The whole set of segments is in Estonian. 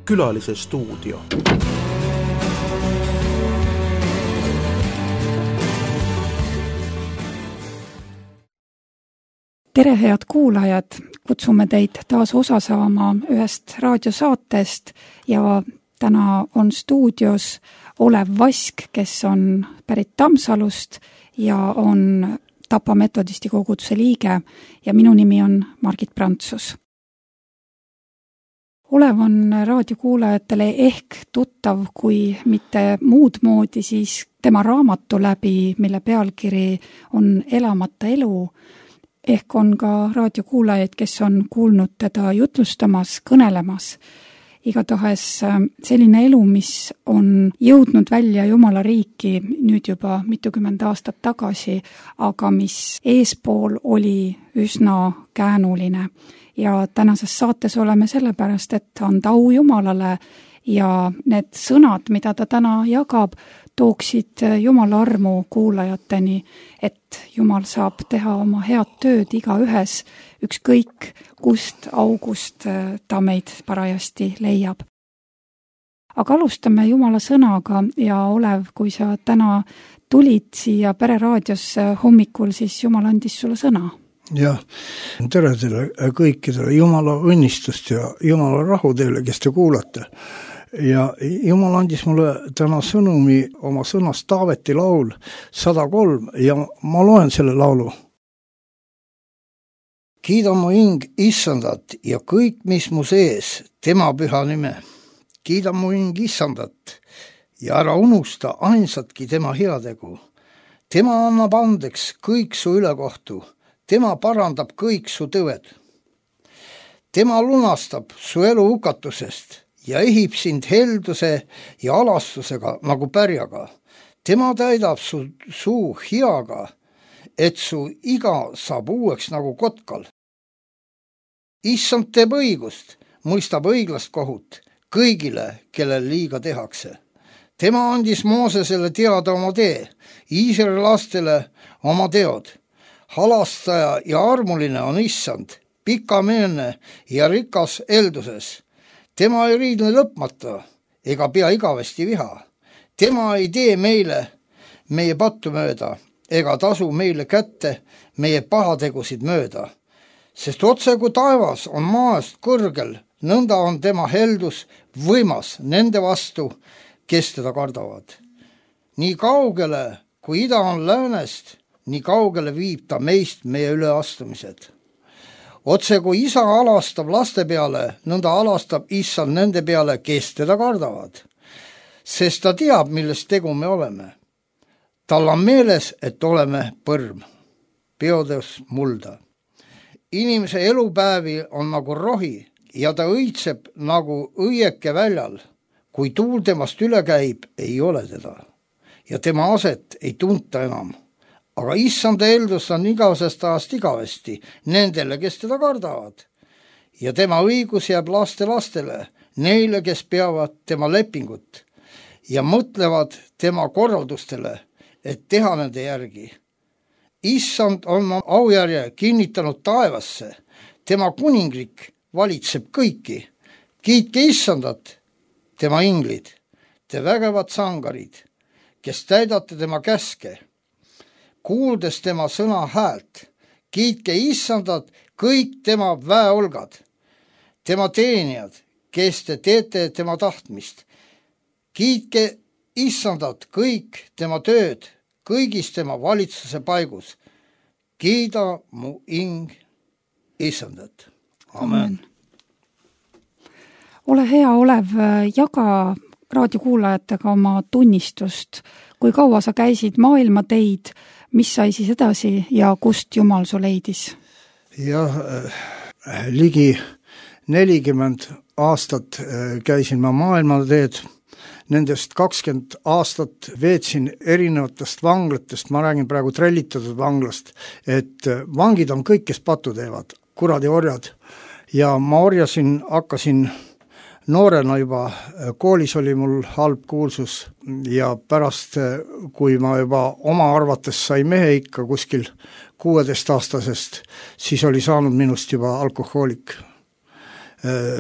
Külalise stuudio. Tere, head kuulajad! Kutsume teid taas osa saama ühest raadiosaatest ja täna on stuudios Olev Vask, kes on pärit Tammsalust ja on Tapa metodisti koguduse liige ja minu nimi on Margit Prantsus. Olev on raadiokuulajatele ehk tuttav, kui mitte muud moodi, siis tema raamatu läbi, mille pealkiri on Elamata elu. Ehk on ka raadiokuulajaid, kes on kuulnud teda jutlustamas, kõnelemas. Igatahes selline elu, mis on jõudnud välja Jumala riiki nüüd juba mitukümmend aastat tagasi, aga mis eespool oli üsna käänuline. Ja tänases saates oleme sellepärast, et anda au Jumalale ja need sõnad, mida ta täna jagab, tooksid Jumala armu kuulajateni, et Jumal saab teha oma head tööd igaühes, ükskõik kust august ta meid parajasti leiab. Aga alustame Jumala sõnaga ja Olev, kui sa täna tulid siia Pereraadiosse hommikul, siis Jumal andis sulle sõna. Jah, tere teile kõikidele, Jumala õnnistust ja Jumala rahu teile, kes te kuulate. Ja Jumal andis mulle täna sõnumi oma sõnast Taaveti laul 103 ja ma loen selle laulu. Kiida mu hing Issandat ja kõik, mis mu sees, tema püha nime. Kiida mu hing Issandat ja ära unusta ainsatki tema heategu. Tema annab andeks kõik su ülekohtu. Tema parandab kõik su tõved. Tema lunastab su elu hukatusest ja ehib sind helduse ja alastusega nagu pärjaga. Tema täidab su suu hiaga, et su iga saab uueks nagu kotkal. Issand teeb õigust, mõistab õiglast kohut kõigile, kellel liiga tehakse. Tema andis Moosesele teada oma tee, Iisraeli lastele oma teod. Halastaja ja armuline on Issand, pikameelne ja rikas elduses. Tema ei riidle lõpmata ega pea igavesti viha. Tema ei tee meile meie pattu mööda ega tasu meile kätte meie pahategusid mööda. Sest otse kui taevas on maast kõrgel, nõnda on tema heldus võimas nende vastu, kes teda kardavad. Nii kaugele, kui ida on läänest, nii kaugele viib ta meist meie üleastumised. Otse kui isa alastab laste peale, nõnda alastab Issand nende peale, kes teda kardavad. Sest ta teab, millest tegu me oleme. Tal on meeles, et oleme põrm. Peodes mulda. Inimese elupäevi on nagu rohi ja ta õitseb nagu õieke väljal. Kui tuul temast üle käib, ei ole teda. Ja tema aset ei tunta enam. Aga Issanda eldus on igavesest ajast igavesti nendele, kes teda kardavad. Ja tema õigus jääb laste lastele, neile, kes peavad tema lepingut ja mõtlevad tema korraldustele, et teha nende järgi. Issand on aujärje kinnitanud taevasse, tema kuningrik valitseb kõiki. Kiitke Issandat, tema inglid, te vägevad sangarid, kes täidate tema käske. Kuuldes tema sõna häält, kiitke Issandat kõik tema väeolgad, tema teenijad, kes te teete tema tahtmist. Kiitke Issandat kõik tema tööd, kõigis tema valitsuse paigus. Kiida mu hing Issandat. Amen. Ole hea, Olev, jaga raadiokuulajatega oma tunnistust. Kui kaua sa käisid maailma teid, mis sai siis edasi ja kust Jumal su leidis? Jah, ligi 40 aastat käisin ma maailma teed. Nendest 20 aastat veetsin erinevatest vanglatest, ma räägin praegu trellitatud vanglast, et vangid on kõik, kes patu teevad, kuradi orjad. Ja ma orjasin, hakkasin noorena juba, koolis oli mul halb kuulsus ja pärast, kui ma juba oma arvates sai mehe ikka kuskil 16-aastasest, siis oli saanud minust juba alkohoolik.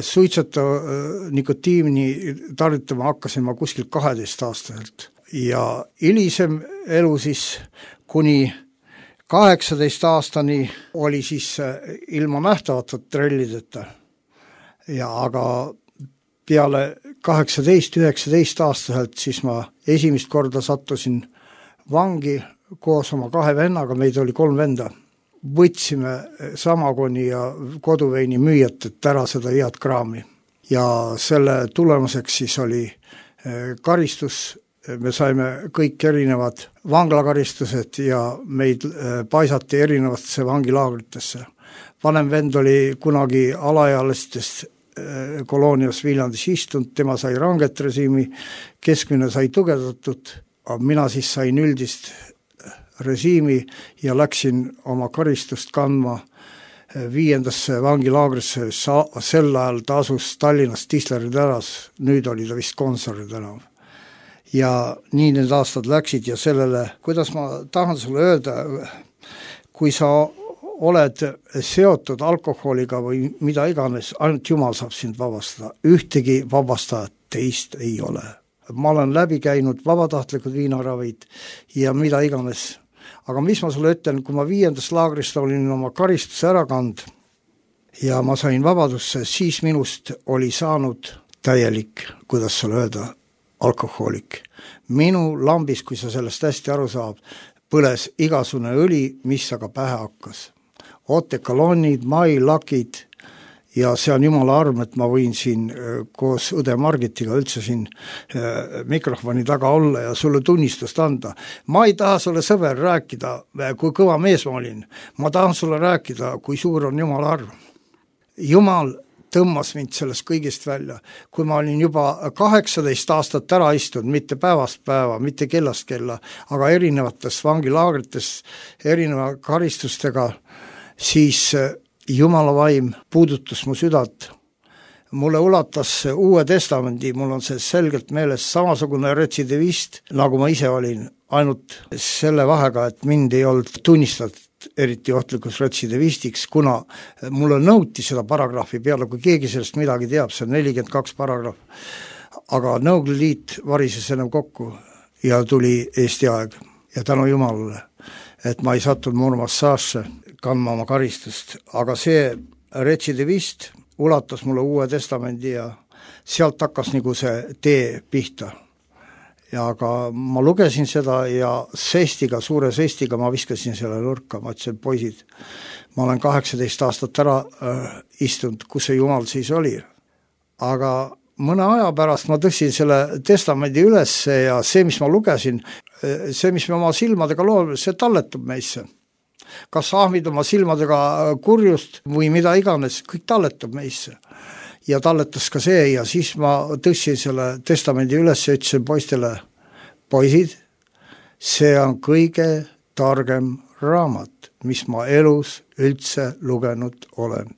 Suitseta nikotiini tarvitama hakkasin ma kuskil 12-aastaselt ja hilisem elu siis kuni 18 aastani oli siis ilma nähtavata trellideta. Ja aga peale 18-19 aastaselt siis ma esimest korda sattusin vangi koos oma 2 vennaga, meid oli 3 venda. Võtsime Samagoni ja koduveini müüjat, et ära seda head kraami. Ja selle tulemuseks siis oli karistus. Me saime kõik erinevad vanglakaristused ja meid paisati erinevatesse vangilaagritesse. Vanem vend oli kunagi alaealistest koloonias Viljandis istunud, tema sai ranget režiimi, keskmine sai tugevdatud, aga mina siis sain üldist režiimi ja läksin oma karistust kandma 5. vangilaagrisse, sel ajal ta asus Tallinnas Tisleri tänas, nüüd oli ta vist Konsari tänav. Ja nii need aastad läksid ja sellele, kuidas ma tahan sulle öelda, kui sa oled seotud alkoholiga või mida iganes, ainult Jumal saab sind vabastada. Ühtegi vabastajat teist ei ole. Ma olen läbi käinud vabatahtlikud viinaravid ja mida iganes. Aga mis ma sulle ütlen, kui ma 5. laagrist olin oma karistuse ära kand ja ma sain vabadusse, siis minust oli saanud täielik, kuidas sulle öelda, alkohoolik. Minu lambis, kui sa sellest hästi aru saab, põles igasune õli, mis aga pähe hakkas. Otekalonnid, mailakid ja see on jumala arm, et ma võin siin koos õde Margitiga üldse siin mikrofoni taga olla ja sulle tunnistust anda. Ma ei taha sulle sõber rääkida, kui kõva mees ma olin. Ma tahan sulle rääkida, kui suur on jumala arm. Jumal tõmmas mind sellest kõigist välja. Kui ma olin juba 18 aastat ära istunud, mitte päevast päeva, mitte kellast kella, aga erinevates vangilaagrites, erineva karistustega, siis Jumala vaim puudutas mu südant. Mulle ulatas Uue Testamendi, mul on see selgelt meeles, samasugune retsidivist, nagu ma ise olin, ainult selle vahega, et mind ei olnud tunnistatud eriti ohtlikus retsidivistiks, kuna mulle nõuti seda paragrahvi peale, kui keegi sellest midagi teab, see on 42 paragrahv. Aga Nõukogude Liit varises enam kokku ja tuli Eesti aeg ja tänu Jumalale, et ma ei sattunud Murmassaasse kandma oma karistust, aga see retsidivist ulatas mulle Uue Testamendi ja sealt hakkas nagu see tee pihta. Ja aga ma lugesin seda ja sestiga, suure sestiga ma viskasin selle nurka, ma ütlesin, poisid, ma olen 18 aastat ära istunud, kus see Jumal siis oli. Aga mõne aja pärast ma tõstsin selle testamendi üles ja see, mis ma lugesin, see, mis me oma silmadega loome, see talletub meisse. Kas ahmid oma silmadega kurjust või mida iganes, kõik talletab meisse. Ja talletas ka see ja siis ma tõstsin selle testamendi üles ja ütlesin poistele, poisid, see on kõige targem raamat, mis ma elus üldse lugenud olen.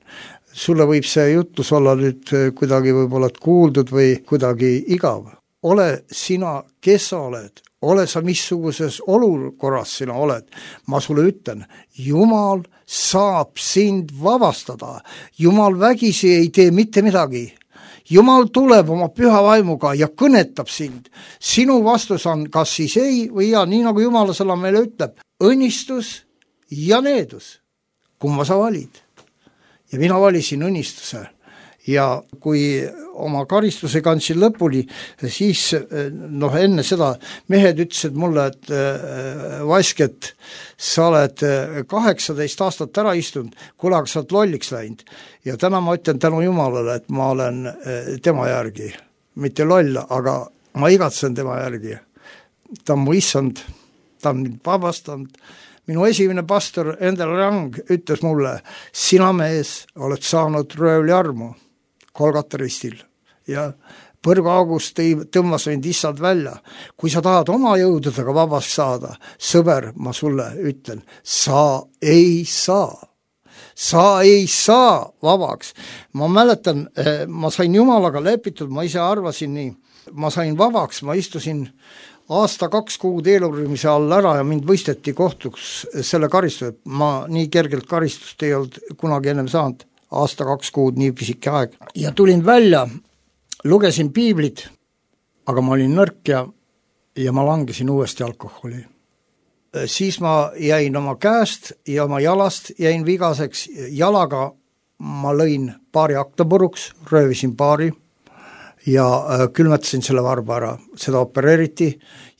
Sulle võib see jutus olla nüüd kuidagi võib-olla kuuldud või kuidagi igav. Ole sina, kes sa oled, ole sa missuguses olukorras sina oled. Ma sulle ütlen, Jumal saab sind vabastada. Jumal vägisi ei tee mitte midagi. Jumal tuleb oma püha vaimuga ja kõnetab sind. Sinu vastus on kas siis ei või ja, nii nagu Jumala sõna meile ütleb, õnnistus ja needus. Kumma sa valid? Ja mina valisin õnnistuse. Ja kui oma karistuse kandsin lõpuni, siis enne seda mehed ütlesid mulle, et Vasket, sa oled 18 aastat ära istunud, kuule, aga sa oled lolliks läinud. Ja täna ma ütlen tänu Jumalale, et ma olen tema järgi, mitte loll, aga ma igatsen tema järgi. Ta on mu issand, ta on mind vabastanud. Minu esimene pastor Endel Rang ütles mulle, sina mees oled saanud röövli armu Kolgata ristil ja Põrgu August tõmmas mind issand välja. Kui sa tahad oma jõududega vabast saada, sõber, ma sulle ütlen, sa ei saa. Sa ei saa vabaks. Ma mäletan, ma sain Jumalaga lepitud, ma ise arvasin nii. Ma sain vabaks, ma istusin aasta 2 kuud eeluurimise all ära ja mind võisteti kohtuks selle karistuse. Ma nii kergelt karistust ei olnud kunagi ennem saanud. aasta 2 kuud, nii pisike aeg. Ja tulin välja, lugesin piiblit, aga ma olin nõrk ja ma langesin uuesti alkoholi. Siis ma jäin oma käest ja oma jalast jäin vigaseks, jalaga ma lõin paari akna puruks, röövisin paari ja külmetasin selle varba ära, seda opereeriti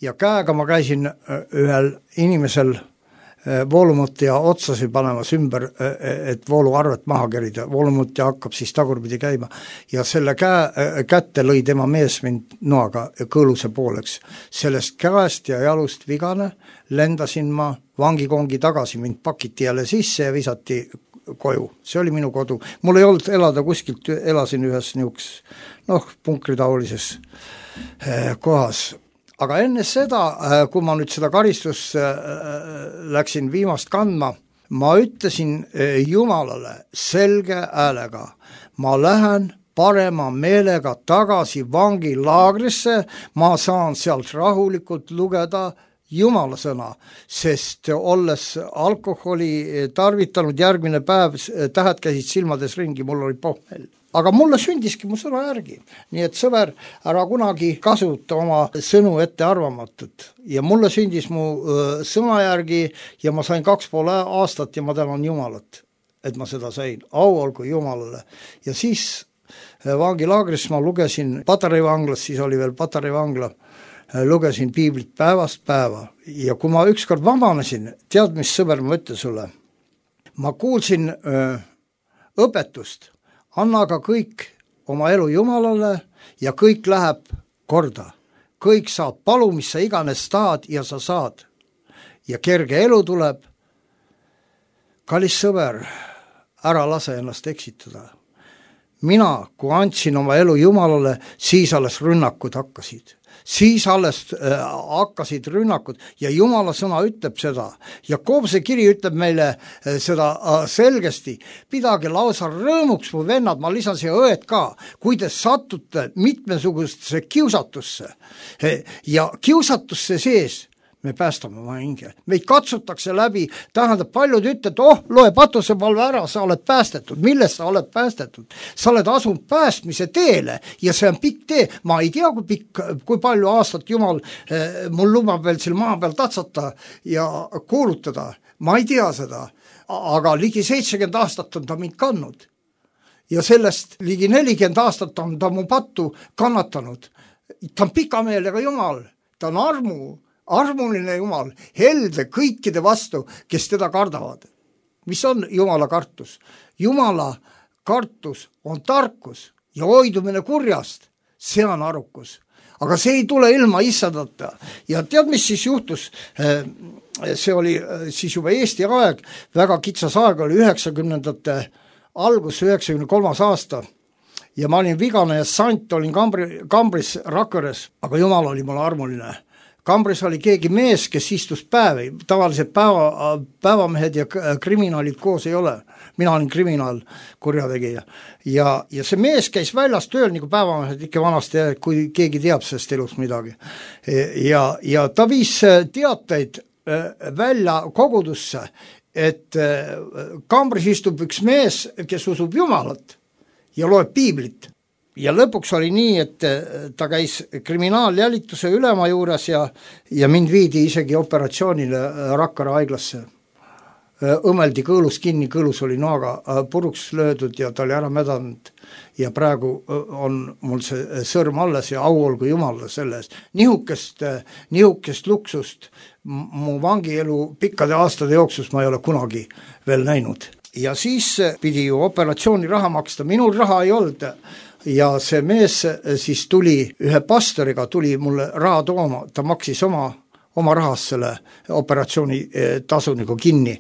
ja käega ma käisin ühel inimesel voolumutja otsasid panemas ümber, et vooluarvet maha kerida. Voolumutja hakkab siis tagurpidi käima ja selle kätte lõi tema mees mind noaga kõõluse pooleks. Sellest käest ja jalust vigane lendasin ma vangikongi tagasi, mind pakiti jälle sisse ja visati koju. See oli minu kodu. Mul ei olnud elada kuskilt, elasin ühes niuks, punkritaolises kohas. Aga enne seda, kui ma nüüd seda karistust läksin viimast kandma, ma ütlesin Jumalale selge häälega, ma lähen parema meelega tagasi vangilaagrisse, ma saan sealt rahulikult lugeda Jumala sõna, sest olles alkoholi tarvitanud järgmine päev, tähed käisid silmades ringi, mul oli pohmel. Aga mulle sündiski mu sõna järgi. Nii et sõber, ära kunagi kasuta oma sõnu ette arvamatut. Ja mulle sündis mu sõna järgi ja ma sain 2,5 aastat ja ma tänan Jumalat, et ma seda sain. Au olgu Jumalale. Ja siis vangilaagris ma lugesin Patareivanglas, siis oli veel Patareivangla, lugesin piiblit päevast päeva. Ja kui ma ükskord vabanesin, tead mis sõber ma ütlen sulle? Ma kuulsin õpetust. Anna aga kõik oma elu Jumalale ja kõik läheb korda. Kõik saab palu, mis sa iganes tahad ja sa saad. Ja kerge elu tuleb. Kallis sõber, ära lase ennast eksitada. Mina, kui andsin oma elu Jumalale, siis alles rünnakud hakkasid. Siis alles hakkasid rünnakud ja Jumala sõna ütleb seda. Jakobuse kiri ütleb meile seda selgesti. Pidage lausa rõõmuks, mu vennad, ma lisan siia õed ka, kui te satute mitmesugustesse kiusatusse ja kiusatusse sees me päästame oma hinge. Meid katsutakse läbi, tähendab paljud ütlevad, loe patusepalve ära, sa oled päästetud. Millest sa oled päästetud? Sa oled asunud päästmise teele ja see on pikk tee. Ma ei tea, kui palju aastat Jumal mul lubab veel siin maa peal tatsata ja kuulutada. Ma ei tea seda, aga ligi 70 aastat on ta mind kandnud. Ja sellest ligi 40 aastat on ta mu pattu kannatanud. Ta on pikameelega Jumal, ta on armuline Jumal, helde kõikide vastu, kes teda kardavad. Mis on Jumala kartus? Jumala kartus on tarkus ja hoidumine kurjast, see on arukus. Aga see ei tule ilma issandata. Ja tead, mis siis juhtus? See oli siis juba Eesti aeg, väga kitsas aeg oli 90ndate algus, 93. aasta. Ja ma olin vigane ja sant, olin kambris Rakveres, aga Jumal oli mulle armuline. Kambris oli keegi mees, kes istus päevi. Tavaliselt päevamehed ja kriminaalid koos ei ole. Mina olin kriminaal, kurjategija. Ja see mees käis väljas tööl, nagu päevamehed ikka vanasti, kui keegi teab sellest elust midagi. Ja ta viis teateid välja kogudusse, et kambris istub üks mees, kes usub Jumalat ja loeb piiblit. Ja lõpuks oli nii, et ta käis kriminaaljälituse ülema juures ja mind viidi isegi operatsioonile Rakkara haiglasse. Õmeldi kõõlus kinni, kõõlus oli noaga puruks löödud ja ta oli ära mädanud. Ja praegu on mul see sõrm alles ja au olgu Jumalale selles. Nihukest luksust mu vangielu pikkade aastade jooksus ma ei ole kunagi veel näinud. Ja siis pidi ju operatsiooni raha maksta, minul raha ei olnud. Ja see mees siis tuli ühe pastoriga, tuli mulle raha tooma, ta maksis oma rahast selle operatsiooni tasu nagu kinni.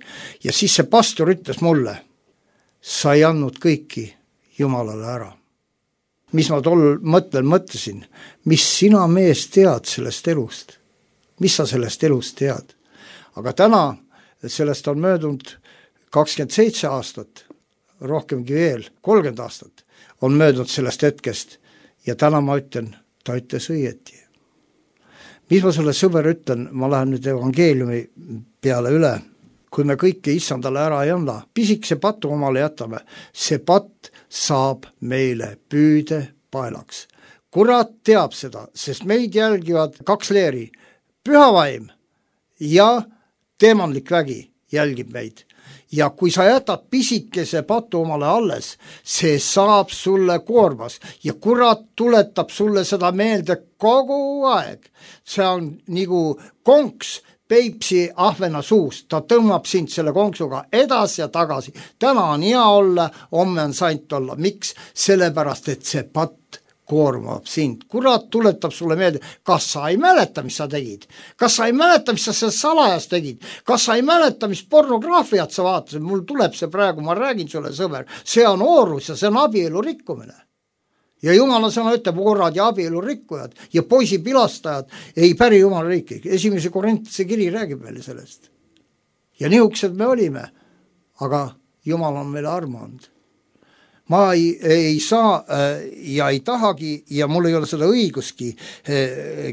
Ja siis see pastor ütles mulle, sa ei andnud kõiki Jumalale ära. Mis ma tol mõtlesin, mis sina mees tead sellest elust? Mis sa sellest elust tead? Aga täna sellest on möödunud 27 aastat, rohkemgi veel, 30 aastat. On möödunud sellest hetkest ja täna ma ütlen, ta ütles õieti. Mis ma sulle sõber ütlen, ma lähen nüüd evangeeliumi peale üle. kui me kõike issandale ära ei anna, pisikese patu omale jätame, see patt saab meile püüdepaelaks. Kurat teab seda, sest meid jälgivad 2 leeri, pühavaim ja teemanlik vägi jälgib meid. Ja kui sa jätad pisikese patu omale alles, see saab sulle koormas ja kurat tuletab sulle seda meelde kogu aeg. See on nagu konks Peipsi ahvena suust, ta tõmbab sind selle konksuga edasi ja tagasi. Täna on hea olla, homme on saint olla. Miks? Sellepärast, et see patt koormab sind. Kurat tuletab sulle meelde, kas sa ei mäleta, mis sa tegid? Kas sa ei mäleta, mis sa seal salajas tegid? Kas sa ei mäleta, mis pornograafiat sa vaatasid? Mul tuleb see praegu, ma räägin sulle, sõber. See on oorus ja see on abielu rikkumine. Ja Jumala sõna ütleb, orad ja abielu rikkujad ja poisi pilastajad ei päri Jumala riiki. 1. Korintuse kiri räägib meile sellest. Ja nihukesed me olime, aga Jumal on meile armu andnud. Ma ei saa ja ei tahagi ja mul ei ole seda õiguski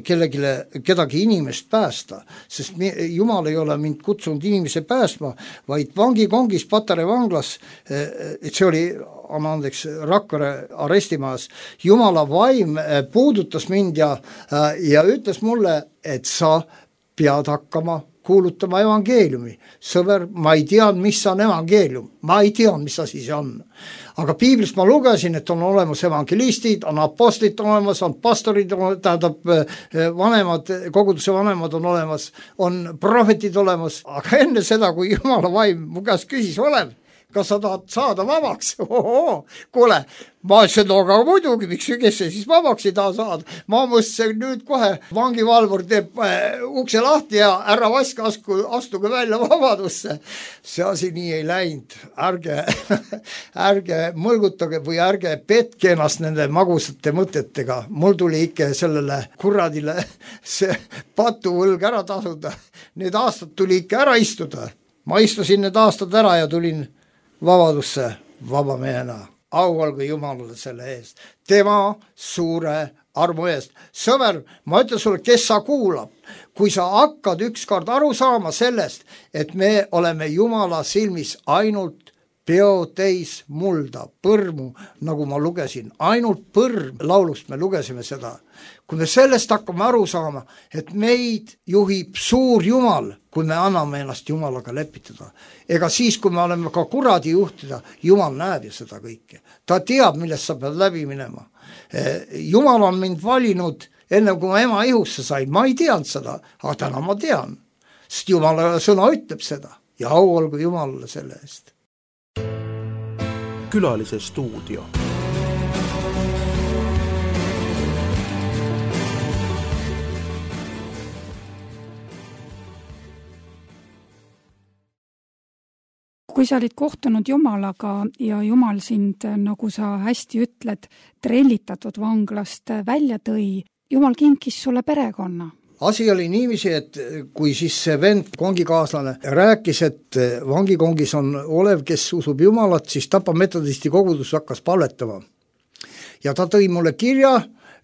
kedagi inimest päästa, sest Jumal ei ole mind kutsunud inimese päästma, vaid vangikongis Patarei vanglas, see oli, anna andeks, Rakvere arestimajas, Jumala vaim puudutas mind ja ütles mulle, et sa pead hakkama kuulutama evangeeliumi. Sõber, ma ei tea, mis on evangeelium. Ma ei tea, mis asi see on. Aga piiblist ma lugesin, et on olemas evangelistid, on apostlid olemas, on pastorid, tähendab vanemad, koguduse vanemad on olemas, on prohvetid olemas. Aga enne seda, kui Jumala vaim mu käest küsis, Olev, kas sa tahad saada vabaks? Kuule, ma ütlesin, no aga muidugi, miks kes see siis vabaks ei taha saada? Ma mõtlesin nüüd kohe, vangivalvur teeb ukse lahti ja ära vaske, astuge välja vabadusse. See asi nii ei läinud. Ärge mõlgutage või ärge petke ennast nende magusate mõtetega. Mul tuli ikka sellele kuradile see patuvõlg ära tasuda. Need aastad tuli ikka ära istuda. Ma istusin need aastad ära ja tulin vabadusse vaba mehena. Au olgu Jumalale selle eest. Tema suure armu eest. Sõber, ma ütlen sulle, kes sa kuulab, kui sa hakkad ükskord aru saama sellest, et me oleme Jumala silmis ainult peotäis mulda, põrmu, nagu ma lugesin, ainult põrm laulust me lugesime seda. Kui me sellest hakkame aru saama, et meid juhib suur Jumal, kui me anname ennast Jumalaga lepitada. Ega siis, kui me oleme ka kuradi juhtida, Jumal näeb ju seda kõike. Ta teab, millest sa pead läbi minema. Jumal on mind valinud enne, kui ma ema ihusse sain. Ma ei teadnud seda, aga täna ma tean. Sest Jumala sõna ütleb seda. Ja au olgu Jumalale selle eest. Külalise stuudio. Kui sa olid kohtunud Jumalaga ja Jumal sind, nagu sa hästi ütled, trellitatud vanglast välja tõi, Jumal kinkis sulle perekonna. Asi oli niiviisi, et kui siis see vend, kongikaaslane, rääkis, et vangikongis on Olev, kes usub Jumalat, siis Tapa metodisti kogudus hakkas palvetama. Ja ta tõi mulle kirja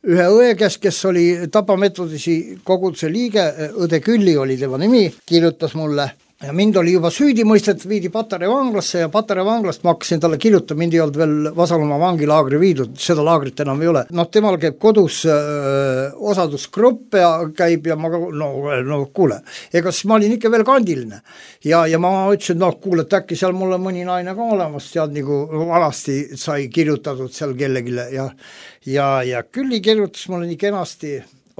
ühe õe käest, kes oli Tapa metodisi koguduse liige, õde Külli oli tema nimi, kirjutas mulle. Ja mind oli juba süüdi mõistet, viidi Patarei vanglasse ja Patarei vanglast ma hakkasin talle kirjutada, mind ei olnud veel Vasalumaa vangilaagri viidud, seda laagrit enam ei ole. Temal käib kodus osadusgrupp ja käib ja ma no kuule, ega siis ma olin ikka veel kandiline. Ja ma ütlesin, kuule, et äkki seal mulle mõni naine ka olemas, tead nagu vanasti sai kirjutatud seal kellegile ja Külli kirjutas mulle nii kenasti,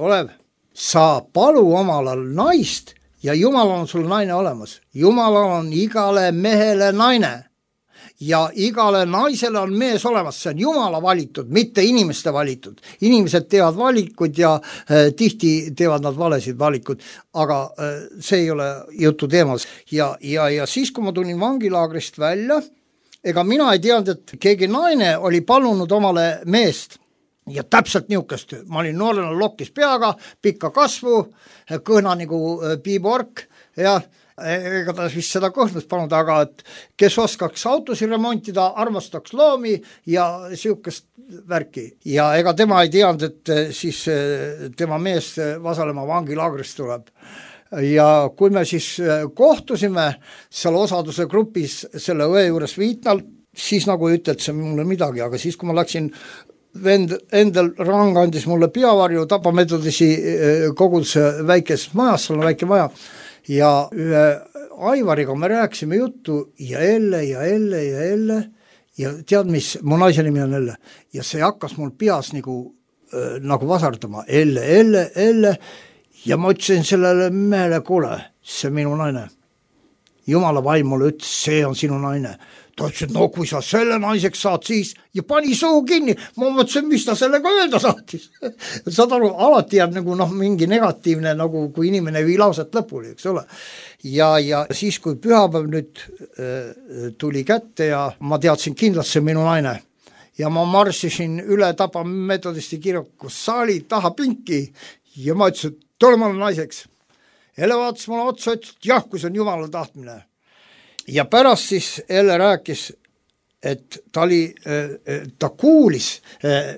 Olev, sa palu omalal naist, ja Jumalal on sul naine olemas. Jumalal on igale mehele naine ja igale naisele on mees olemas. See on Jumala valitud, mitte inimeste valitud. Inimesed teevad valikuid ja tihti teevad nad valesid valikud, aga see ei ole jutu teemas. Ja siis, kui ma tulin vangilaagrist välja, ega mina ei teadnud, et keegi naine oli palunud omale meest. Ja täpselt niukest, ma olin noorena lokkis peaga, pikka kasvu, kõhna nagu piibork ja ega ta vist seda kõhnust panud, aga et kes oskaks autosi remontida, armastaks loomi ja siukest värki. Ja ega tema ei teadnud, et siis tema mees Vasalemma vangilaagrist tuleb. ja kui me siis kohtusime seal osaduse grupis selle õe juures Viitnal, siis nagu ei ütelnud see mulle midagi, aga siis kui ma läksin, vend Endel Rang andis mulle peavarju Tapa Metodisi koguduse väikes majas, seal on väike maja, ja ühe Aivariga me rääkisime juttu ja tead mis, mu naise nimi on Elle, ja see hakkas mul peas nagu vasardama, Elle, ja ma ütlesin sellele mehele, kuule, see minu naine. Jumala vaim mulle ütles, see on sinu naine. Ta ütles, et no kui sa selle naiseks saad siis, ja pani suu kinni, ma mõtlesin, mis ta sellega öelda saatis. Saad aru, alati jääb nagu mingi negatiivne, nagu kui inimene ei vii lauset lõpuni, eks ole. Ja siis, kui pühapäev nüüd tuli kätte ja ma teadsin kindlasti minu naine, ja ma marssisin üle Tapa Metodisti kirjaku saali taha pinki ja ma ütlesin, et tule mulle naiseks. Elle vaatas mulle otsa, ütles, et jah, kui see on Jumala tahtmine. Ja pärast siis Elle rääkis, et ta kuulis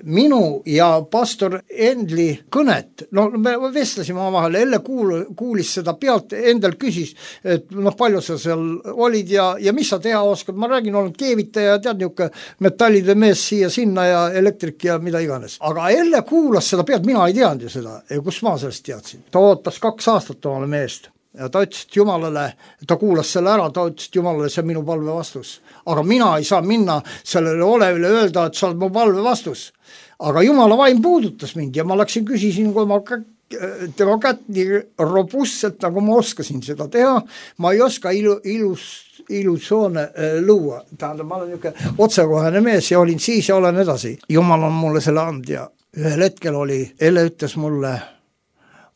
minu ja pastor Endli kõnet. No me vestlesime omavahel, Elle kuulis seda pealt, Endel küsis, et palju sa seal olid ja mis sa teha oskad. Ma räägin, olen keevitaja ja tead niuke metallide mees siia sinna ja elektrik ja mida iganes. Aga Elle kuulas seda pealt, mina ei teadnud ju seda, kus ma sellest teadsin. Ta ootas 2 aastat omale meest. Ja ta ütles, et Jumalale, ta kuulas selle ära, ta ütles, et Jumalale, see on minu palve vastus. Aga mina ei saa minna sellele Olevile öelda, et sa oled mu palve vastus. Aga Jumala vaim puudutas mind ja ma läksin, küsisin, kui ma tema kätt nii robustselt, nagu ma oskasin seda teha. Ma ei oska illusioone luua. Tähendab, ma olen niisugune otsekohene mees ja olin siis ja olen edasi. Jumal on mulle selle and ja ühel hetkel Elle ütles mulle,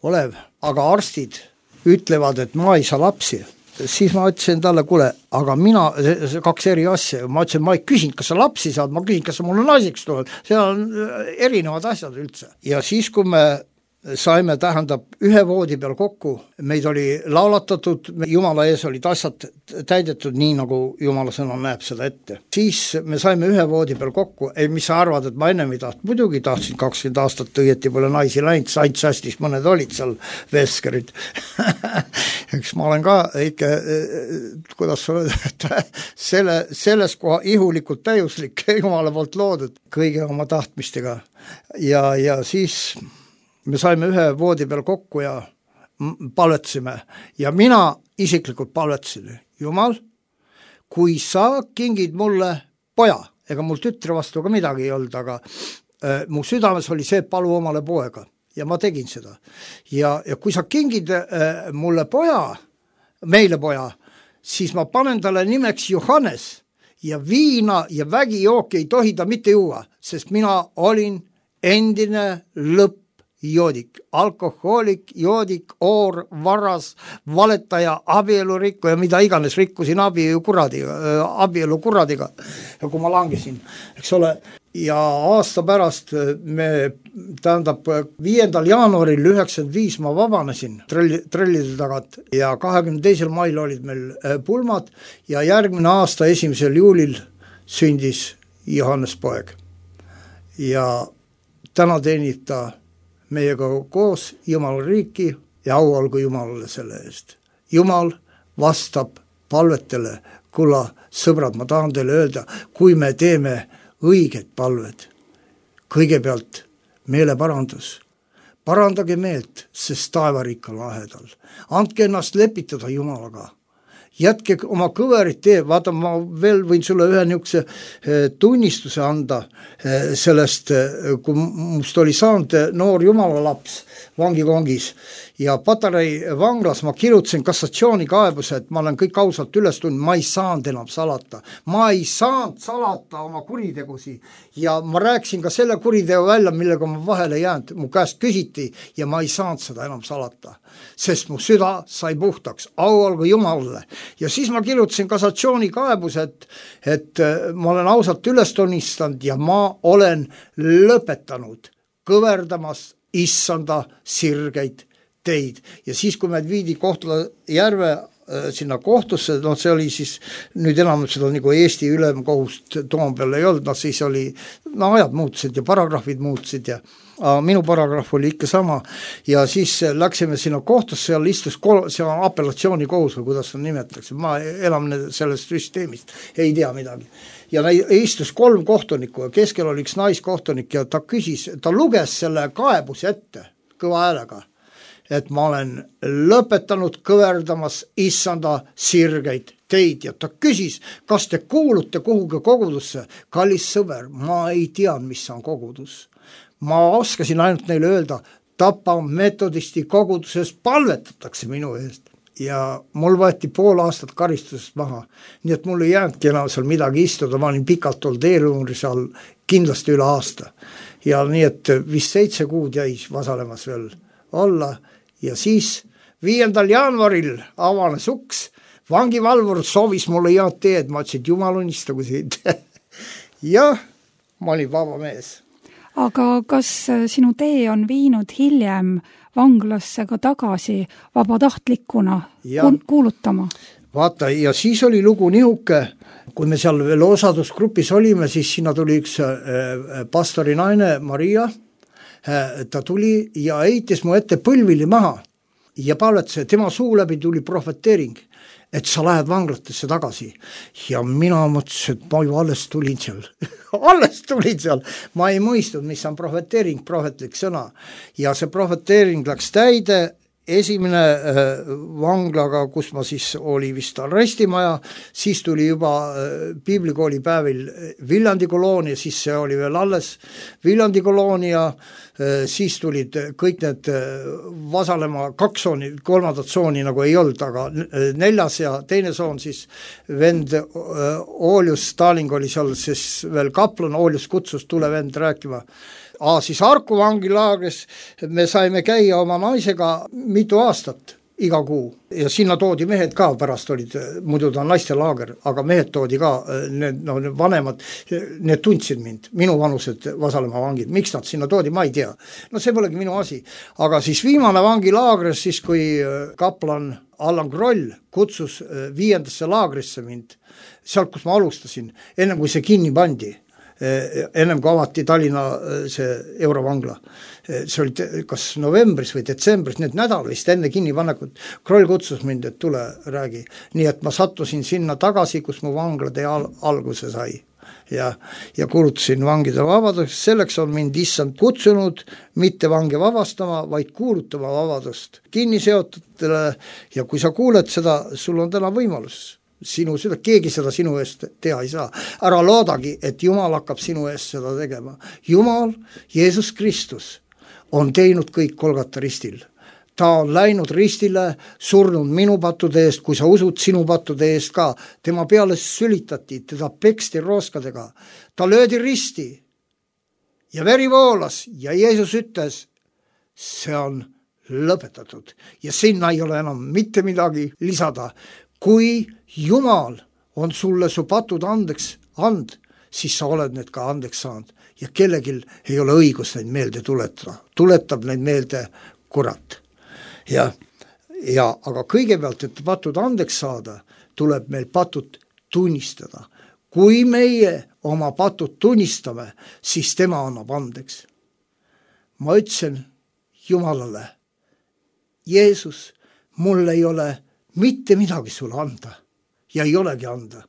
Olev, aga arstid ütlevad, et ma ei saa lapsi. Siis ma ütlesin talle, kuule, aga mina, 2 eri asja, ma ütlesin, ma ei küsinud, kas sa lapsi saad, ma küsin, kas sa mulle naiseks tuleb. See on erinevad asjad üldse. Ja siis, kui me saime, tähendab, 1 voodi peal kokku, meid oli laulatatud, Jumala ees olid asjad täidetud nii, nagu Jumala sõna näeb seda ette. Siis me saime 1 voodi peal kokku, mis sa arvad, et ma ennem ei tahtnud, muidugi tahtsin 20 aastat õieti pole naisi läinud, saint sastis, mõned olid seal veskerid. Eks ma olen ka ikka, kuidas sa oled, selles koha ihulikult täiuslik Jumala poolt loodud kõige oma tahtmistega. Ja siis me saime 1 voodi peal kokku ja palvetasime. Ja mina isiklikult palvetasin, Jumal, kui sa kingid mulle poja, ega mul tütre vastu ka midagi ei olnud, aga mu südames oli see, palu omale poega ja ma tegin seda. Ja kui sa kingid mulle poja, meile poja, siis ma panen talle nimeks Johannes ja viina ja vägijooki ei tohi ta mitte juua, sest mina olin endine joodik, alkohoolik, joodik, oor, varas, valetaja, abielurikku ja mida iganes rikkusin abielu kuradiga. Ja kui ma langesin, eks ole, ja aasta pärast tähendab 5. jaanuaril 95 ma vabanesin trellide tagant ja 22. mail olid meil pulmad ja järgmine aasta 1. juulil sündis Johannes poeg. Ja täna teenib ta meiega koos Jumala riiki ja au olgu Jumalale selle eest. Jumal vastab palvetele. Kulla, sõbrad, ma tahan teile öelda, kui me teeme õiged palved, kõigepealt meeleparandus. Parandage meelt, sest taevariik on lähedal. Andke ennast lepitada Jumalaga. Jätke oma kõverit tee, vaata, ma veel võin sulle ühe niisuguse tunnistuse anda sellest, kui must oli saanud noor Jumala laps vangikongis ja Patarei vanglas ma kirjutasin kassatsioonikaebuse, et ma olen kõik ausalt üles tundnud, ma ei saanud enam salata. Ma ei saanud salata oma kuritegusi ja ma rääkisin ka selle kuriteo välja, millega ma vahele jäänud. Mu käest küsiti ja ma ei saanud seda enam salata, sest mu süda sai puhtaks. Au olgu Jumalale. Ja siis ma kirjutasin kassatsioonikaebuse, et ma olen ausalt üles tunnistanud ja ma olen lõpetanud kõverdamas issanda sirgeid teid. Ja siis, kui meid viidi Kohtla järve sinna kohtusse, see oli siis, nüüd enam seda nagu Eesti ülemkohust Toompeal ei olnud, siis oli, ajad muutusid ja paragrahvid muutusid ja minu paragrahv oli ikka sama ja siis läksime sinna kohtusse, seal istus see on apellatsioonikohus või kuidas seda nimetatakse, ma enam sellest süsteemist ei tea midagi. Ja istus 3 kohtunikku ja keskel oli üks naiskohtunik ja ta luges selle kaebuse ette kõva häälega, et ma olen lõpetanud kõverdamas issanda sirgeid teid ja ta küsis, kas te kuulute kuhugi kogudusse, kallis sõber, ma ei tea, mis on kogudus. Ma oskasin ainult neile öelda, Tapa metodisti koguduses palvetatakse minu eest ja mul võeti 5 aastat karistusest maha, nii et mul ei jäänudki enam seal midagi istuda, ma olin pikalt olnud eeluuri seal kindlasti üle aasta ja nii et vist 7 kuud jäi vasalemas veel olla ja siis 5. jaanuaril avanes uks, vangivalvur soovis mulle head teed, ma ütlesin, et jumal unistagu siit ja ma olin vaba mees. Aga kas sinu tee on viinud hiljem vanglasse ka tagasi vabatahtlikuna kuulutama? Vaata, ja siis oli lugu nihuke, kui me seal veel osadusgrupis olime, siis sinna tuli üks pastori naine, Maria, ta tuli ja heitis mu ette põlvili maha ja palvetas, tema suu läbi tuli prohveteering, et sa lähed vanglatesse tagasi. Ja mina mõtlesin, et ma ju alles tulin seal. Ma ei mõistnud, mis on prohveteering, prohvetlik sõna. Ja see prohveteering läks täide, esimene vanglaga, kus ma siis oli vist arestimaja, siis tuli juba piiblikooli päevil Viljandi koloonia, siis see oli veel alles Viljandi koloonia, siis tulid kõik need Vasalemma 2 tsooni, 3. tsooni nagu ei olnud, aga 4. ja 2. tsoon siis vend Oolius Staling oli seal siis veel kaplan, Oolius kutsus tule vend rääkima. Siis Harku vangilaagris me saime käia oma naisega mitu aastat iga kuu ja sinna toodi mehed ka, pärast olid, muidu ta on naistelaager, aga mehed toodi ka, need vanemad, need tundsid mind, minu vanused Vasalemma vangid, miks nad sinna toodi, ma ei tea. See polegi minu asi, aga siis viimane vangilaagris, siis kui kaplan Allan Kroll kutsus 5. laagrisse mind, sealt kus ma alustasin, ennem kui see kinni pandi, ennem kui avati Tallinna see Eurovangla. See oli kas novembris või detsembris, need nädalist enne kinnipanekut. Kroll kutsus mind, et tule räägi. Nii et ma sattusin sinna tagasi, kus mu vanglade alguse sai. Ja kuulutasin vangide vabadust. Selleks on mind issand kutsunud mitte vange vabastama, vaid kuulutama vabadust kinniseotutele ja kui sa kuuled seda, sul on täna võimalus. Keegi seda sinu eest teha ei saa. Ära loodagi, et Jumal hakkab sinu eest seda tegema. Jumal, Jeesus Kristus on teinud kõik Golgata ristil. Ta on läinud ristile, surnud minu pattude eest, kui sa usud sinu pattude eest ka. Tema peale sülitati, teda peksti rooskadega. Ta löödi risti ja veri voolas ja Jeesus ütles, see on lõpetatud ja sinna ei ole enam mitte midagi lisada. Kui Jumal on sulle su patud andeks and, siis sa oled need ka andeks saanud ja kellegil ei ole õigus neid meelde tuletada. Tuletab neid meelde kurat. Aga kõigepealt, et patud andeks saada, tuleb meil patud tunnistada. Kui meie oma patud tunnistame, siis tema annab andeks. Ma ütlesin Jumalale, Jeesus, mul ei ole mitte midagi sulle anda ja ei olegi anda.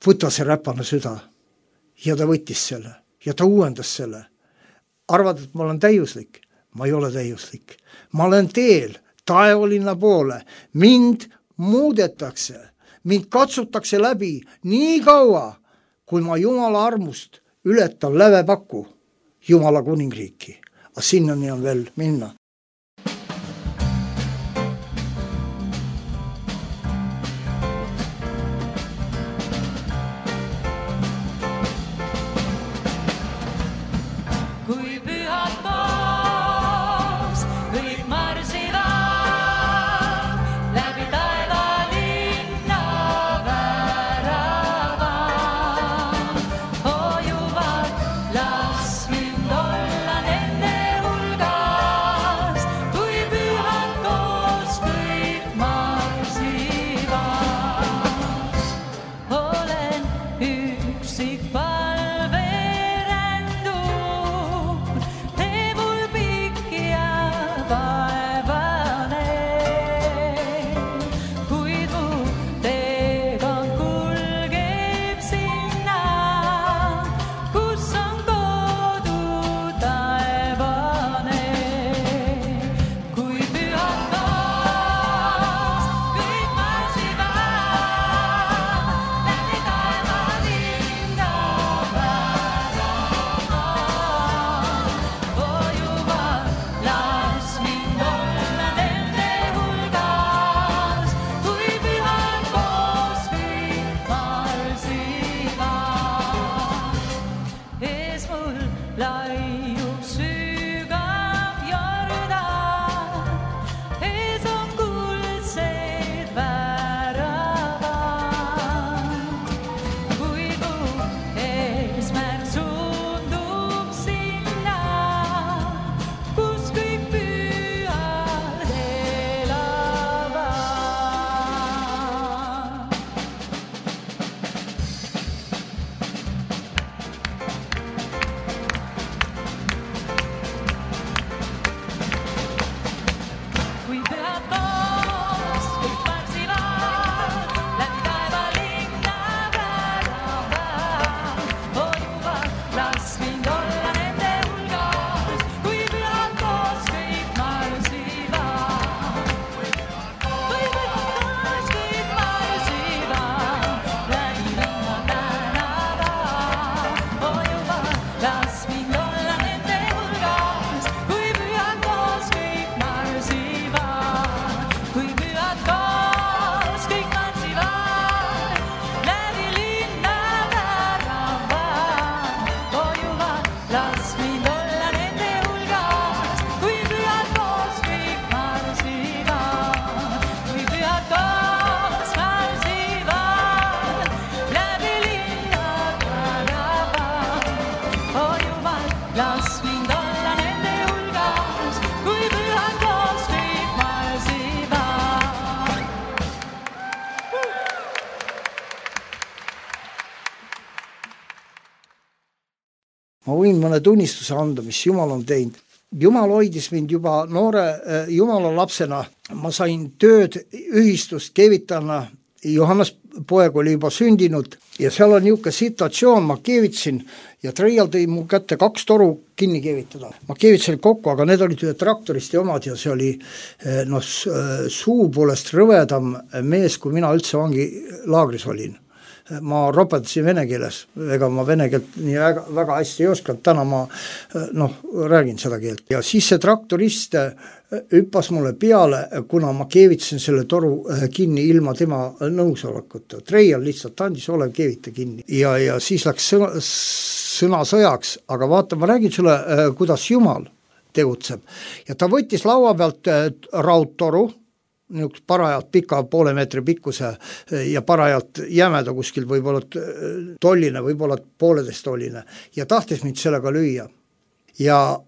Võta see räpane süda ja ta võttis selle ja ta uuendas selle. Arvad, et ma olen täiuslik? Ma ei ole täiuslik. Ma olen teel taevalinna poole. Mind muudetakse, mind katsutakse läbi nii kaua, kui ma Jumala armust ületan lävepaku Jumala kuningriiki. Aga sinnani on veel minna. las mind olla nende hulgas, kui pühad koos kõik marsivad, kui pühad koos marsivad, läbi linna tänavad. Oh Jumal, las mind olla nende hulgas, kui pühad koos kõik marsivad. Ma võin mõne tunnistuse anda, mis Jumal on teinud. Jumal hoidis mind juba noore Jumala lapsena. Ma sain tööd ühistust keevitana. Johannes poeg oli juba sündinud ja seal on niisugune situatsioon, ma keevitsin ja Treial tõi mu kätte 2 toru kinni keevitada. Ma keevitsin kokku, aga need olid ühe traktoristi omad ja see oli suu poolest rõvedam mees, kui mina üldse vangilaagris olin. Ma ropetasin vene keeles, ega ma vene keelt nii väga hästi ei oskanud, täna ma räägin seda keelt. Ja siis see traktorist hüppas mulle peale, kuna ma keevitasin selle toru kinni ilma tema nõusolekuta. Treial lihtsalt andis, ole keevita kinni. Ja siis läks sõna sõjaks, aga vaata, ma räägin sulle, kuidas Jumal tegutseb. Ja ta võttis laua pealt raudtoru, niisugust parajalt pika 0,5 meetri pikkuse ja parajalt jämeda kuskil võib-olla tolline, võib-olla 1,5 tolline ja tahtis mind sellega lüüa. Ja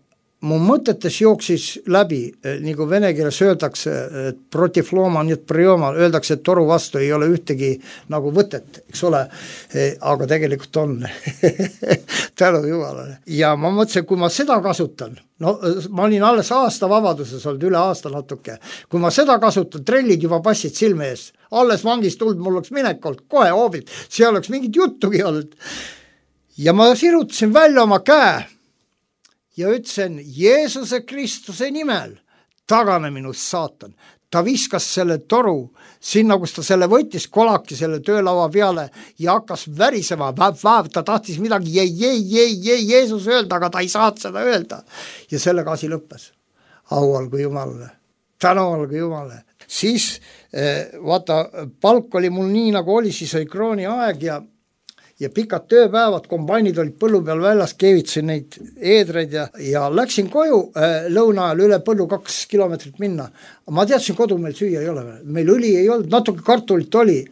mu mõtetes jooksis läbi, nagu vene keeles öeldakse, et protiv looma, nii et prioma, öeldakse, et toru vastu ei ole ühtegi nagu võtet, eks ole, aga tegelikult on. Tänu Jumalale. Ja ma mõtlesin, kui ma seda kasutan, ma olin alles aasta vabaduses olnud, üle aasta natuke, kui ma seda kasutan, trellid juba passid silme ees, alles vangist tuld, mul oleks minek olnud, kohe hoobilt, see oleks mingit juttugi olnud. Ja ma sirutasin välja oma käe, ja ütlesin, Jeesuse Kristuse nimel, tagane minust saatan. Ta viskas selle toru sinna, kus ta selle võttis, kolaki selle töölaua peale ja hakkas värisema, ta tahtis midagi Jeesus öelda, aga ta ei saanud seda öelda. Ja sellega asi lõppes. Au olgu Jumalale, tänu olgu Jumalale. Siis, vaata, palk oli mul nii nagu oli, siis oli krooni aeg ja pikad tööpäevad, kombainid olid põllu peal väljas, keevitasin neid eedreid ja läksin koju lõuna ajal üle põllu 2 kilomeetrit minna. Ma teadsin, kodu meil süüa ei ole. Meil õli ei olnud, natuke kartulit oli.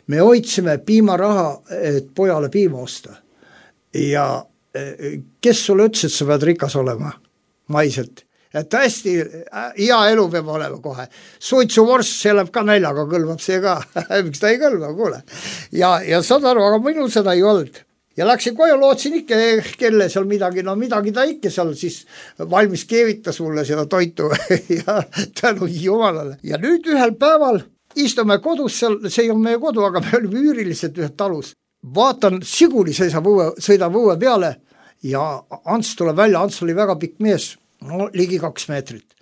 Me hoidsime piimaraha, et pojale piima osta. Ja kes sulle ütles, et sa pead rikas olema maiselt? Et hästi hea elu peab olema kohe. Suitsuvorst, see läheb ka näljaga, kõlbab see ka. Miks ta ei kõlba, kuule. Ja saad aru, aga minul seda ei olnud. Ja läksin koju, lootsin ikka, kelle seal midagi, midagi ta ikka seal siis valmis keevitas mulle seda toitu ja tänu Jumalale. Ja nüüd ühel päeval istume kodus seal, see ei ole meie kodu, aga me olime üürilised ühed talus. Vaatan, Siguli sõidab õue peale ja Ants tuleb välja, Ants oli väga pikk mees. Ligi 2 meetrit.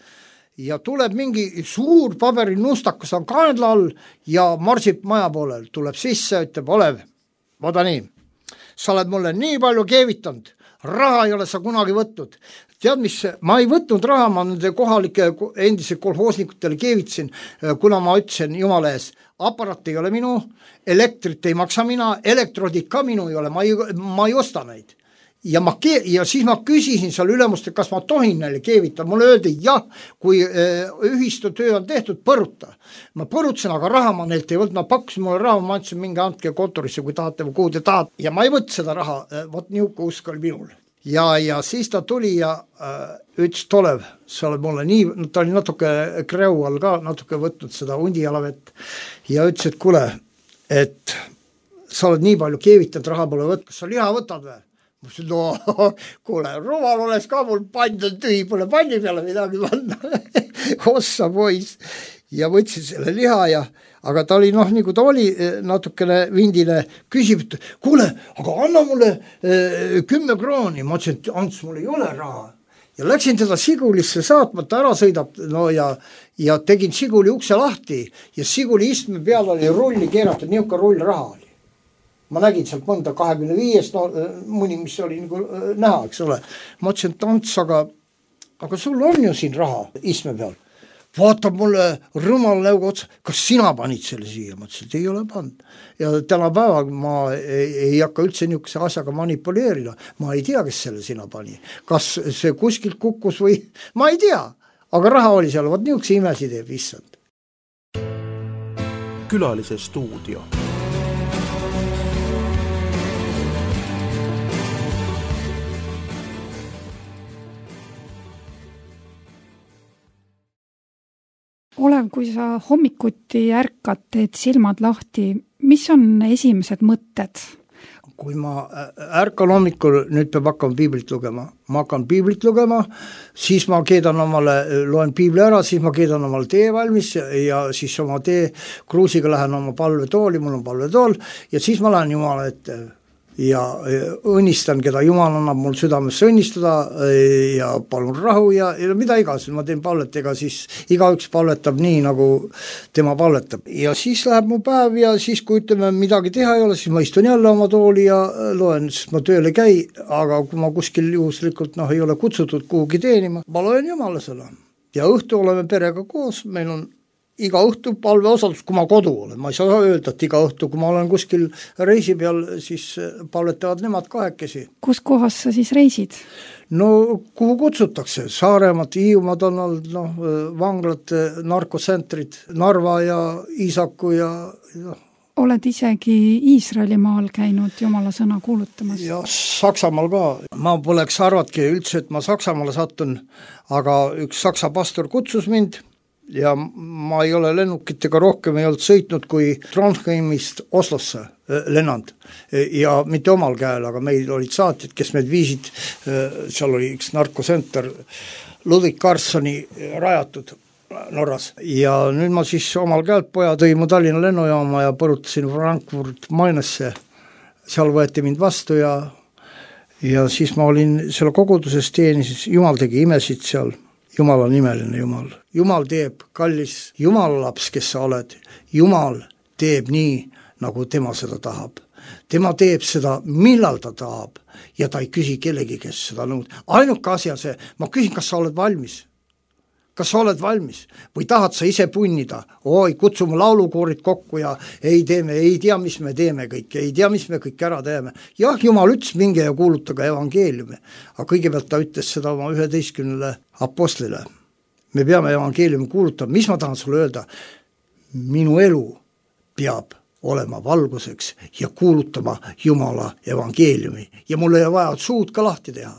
Ja tuleb mingi suur paberinustakas on kaenla all ja marsib maja poolel. Tuleb sisse, ütleb, Olev, vaata nii, sa oled mulle nii palju keevitanud, raha ei ole sa kunagi võtnud. Tead mis, ma ei võtnud raha, ma nende kohalike endise kolhoosnikutele keevitsin, kuna ma ütlesin Jumala ees, aparaat ei ole minu, elektrit ei maksa mina, elektrodid ka minu ei ole, ma ei osta neid. Ja siis ma küsisin seal ülemust, kas ma tohin neile keevita. Mulle öeldi, jah, kui ühistu töö on tehtud, põruta. Ma põrutasin, aga raha ma neilt ei võtnud. Ma pakkusin mulle raha, ma andsin mingi andke kontorisse, kui tahate või kuhu te tahate. Ja ma ei võtnud seda raha, vot niuke usk oli minul. Ja siis ta tuli ja ütles, Olev, sa oled mulle nii, ta oli natuke kreu all ka, natuke võtnud seda hundijalavet ja ütles, et kuule, et sa oled nii palju keevitanud, raha pole võtnud, kas sa liha võtad või? Ma ütlesin, no kuule, rumal oleks ka mul pand on tühi, pole panni peale midagi panna. Ossa pois. Ja võtsin selle liha aga ta oli nagu ta oli natukene vindine, küsib, et kuule, aga anna mulle 10 krooni. Ma ütlesin, et Ants, mul ei ole raha. Ja läksin teda Sigulisse saatma, ta ära sõidab ja tegin Siguli ukse lahti ja Siguli istme peal oli rulli keeratud, niuka rull raha oli. Ma nägin sealt mõnda 25, mõni, mis oli nagu näha, eks ole. Ma ütlesin, et Ants, aga sul on ju siin raha istme peal. vaatab mulle rõmal näoga otsa, kas sina panid selle siia? Ma ütlesin, et ei ole pannud. Ja tänapäeval ma ei hakka üldse niisuguse asjaga manipuleerida. Ma ei tea, kes selle sina pani. Kas see kuskilt kukkus või? Ma ei tea, aga raha oli seal, vaat niisuguse imesi teeb issand. Külalise stuudio. Olev, kui sa hommikuti ärkad, teed silmad lahti, mis on esimesed mõtted? Kui ma ärkan hommikul, nüüd peab hakkama piiblit lugema. Ma hakkan piiblit lugema, siis ma keedan omale, loen piibli ära, siis ma keedan omale tee valmis ja siis oma tee kruusiga lähen oma palvetooli, mul on palvetool, ja siis ma lähen Jumala ette ja õnnistan, keda Jumal annab mul südamesse õnnistada ja palun rahu ja mida iganes, ma teen palvetega, siis igaüks palvetab nii, nagu tema palvetab. Ja siis läheb mu päev ja siis, kui ütleme, midagi teha ei ole, siis ma istun jälle oma tooli ja loen, sest ma tööle käi, aga kui ma kuskil juhuslikult ei ole kutsutud kuhugi teenima, ma loen Jumala sõna. Ja õhtu oleme perega koos, meil on iga õhtu palveosadus, kui ma kodu olen. Ma ei saa öelda, et iga õhtu, kui ma olen kuskil reisi peal, siis palvetavad nemad kahekesi. Kus kohas sa siis reisid? No, kuhu kutsutakse? Saaremaad, Hiiumaad on olnud, vanglad, narkosentrid, Narva ja Iisaku ja Oled isegi Iisraelimaal käinud Jumala sõna kuulutamas? Ja Saksamaal ka. Ma poleks arvatki üldse, et ma Saksamaale sattun, aga üks saksa pastor kutsus mind ja ma ei ole lennukitega rohkem ei olnud sõitnud kui Trondheimist Oslosse lennanud ja mitte omal käel, aga meil olid saatjad, kes meid viisid, seal oli üks narkosenter Ludwig Carlsoni rajatud Norras ja nüüd ma siis omal käelt poja tõi mu Tallinna lennujaama ja põrutasin Frankfurt Mainesse, seal võeti mind vastu ja siis ma olin selle koguduses teenises, Jumal tegi imesid seal. Jumal on imeline Jumal. Jumal teeb, kallis Jumalalaps, kes sa oled. Jumal teeb nii, nagu tema seda tahab. Tema teeb seda, millal ta tahab ja ta ei küsi kellegi, kes seda nõud. Ainuke asi on see, ma küsin, kas sa oled valmis? Kas sa oled valmis? Või tahad sa ise punnida? Oi, kutsume laulukoorid kokku ja ei tea, mis me teeme kõik, ei tea, mis me kõik ära teeme. Jah, Jumal ütles, minge ja kuulutage evangeeliumi. Aga kõigepealt ta ütles seda oma 11 apostlile. Me peame evangeeliumi kuulutama. Mis ma tahan sulle öelda? Minu elu peab olema valguseks ja kuulutama Jumala evangeeliumi. Ja mul ei vaja suud ka lahti teha.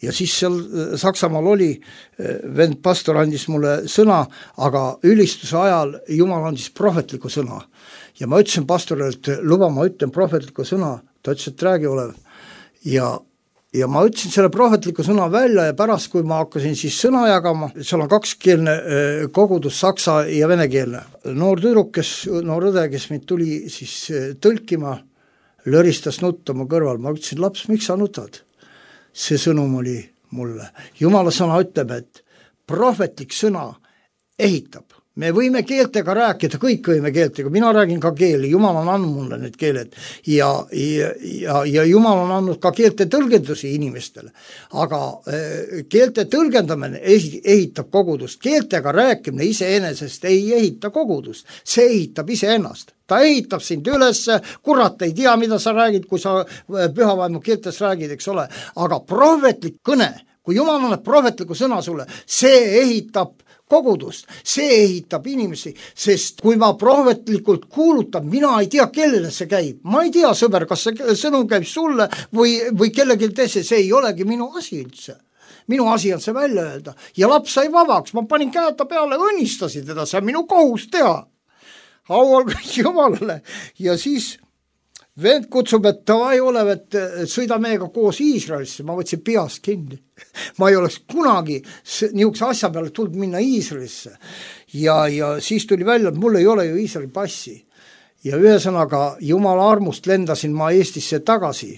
Ja siis seal Saksamaal oli, vend pastor andis mulle sõna, aga ülistuse ajal Jumal andis prohvetliku sõna. Ja ma ütlesin pastorile, et luba, ma ütlen prohvetliku sõna, ta ütles, et räägi olev. Ja ma ütlesin selle prohvetliku sõna välja ja pärast, kui ma hakkasin siis sõna jagama, seal on kakskeelne kogudus, saksa ja venekeelne. Noor tüdruk, noor õde, kes mind tuli siis tõlkima, löristas nutta mu kõrval. Ma ütlesin, laps, miks sa nutad? See sõnum oli mulle. Jumala sõna ütleb, et prohvetlik sõna ehitab. Me võime keeltega rääkida, kõik võime keeltega, mina räägin ka keeli, Jumal on andnud mulle need keeled ja Jumal on andnud ka keelte tõlgendusi inimestele. Aga keelte tõlgendamine ehitab kogudust, keeltega rääkimine iseenesest ei ehita kogudust, see ehitab iseennast. Ta ehitab sind üles, kurat ei tea, mida sa räägid, kui sa pühavaimu keeltes räägid, eks ole. Aga prohvetlik kõne, kui Jumal annab prohvetliku sõna sulle, see ehitab kogudust, see ehitab inimesi, sest kui ma prohvetlikult kuulutan, mina ei tea, kellele see käib. Ma ei tea, sõber, kas see sõnum käib sulle või kellegi teise, see ei olegi minu asi üldse. Minu asi on see välja öelda. Ja laps sai vabaks, ma panin käeta peale, õnnistasin teda, see on minu kohus teha. Aual kõik Jumalale. Ja siis vend kutsub, et tavai olev, et sõida meiega koos Iisraelisse. Ma võtsin peast kinni. Ma ei oleks kunagi niisuguse asja peale tulnud minna Iisraelisse. Ja siis tuli välja, et mul ei ole ju Iisraeli passi. Ja ühesõnaga Jumala armust lendasin ma Eestisse tagasi.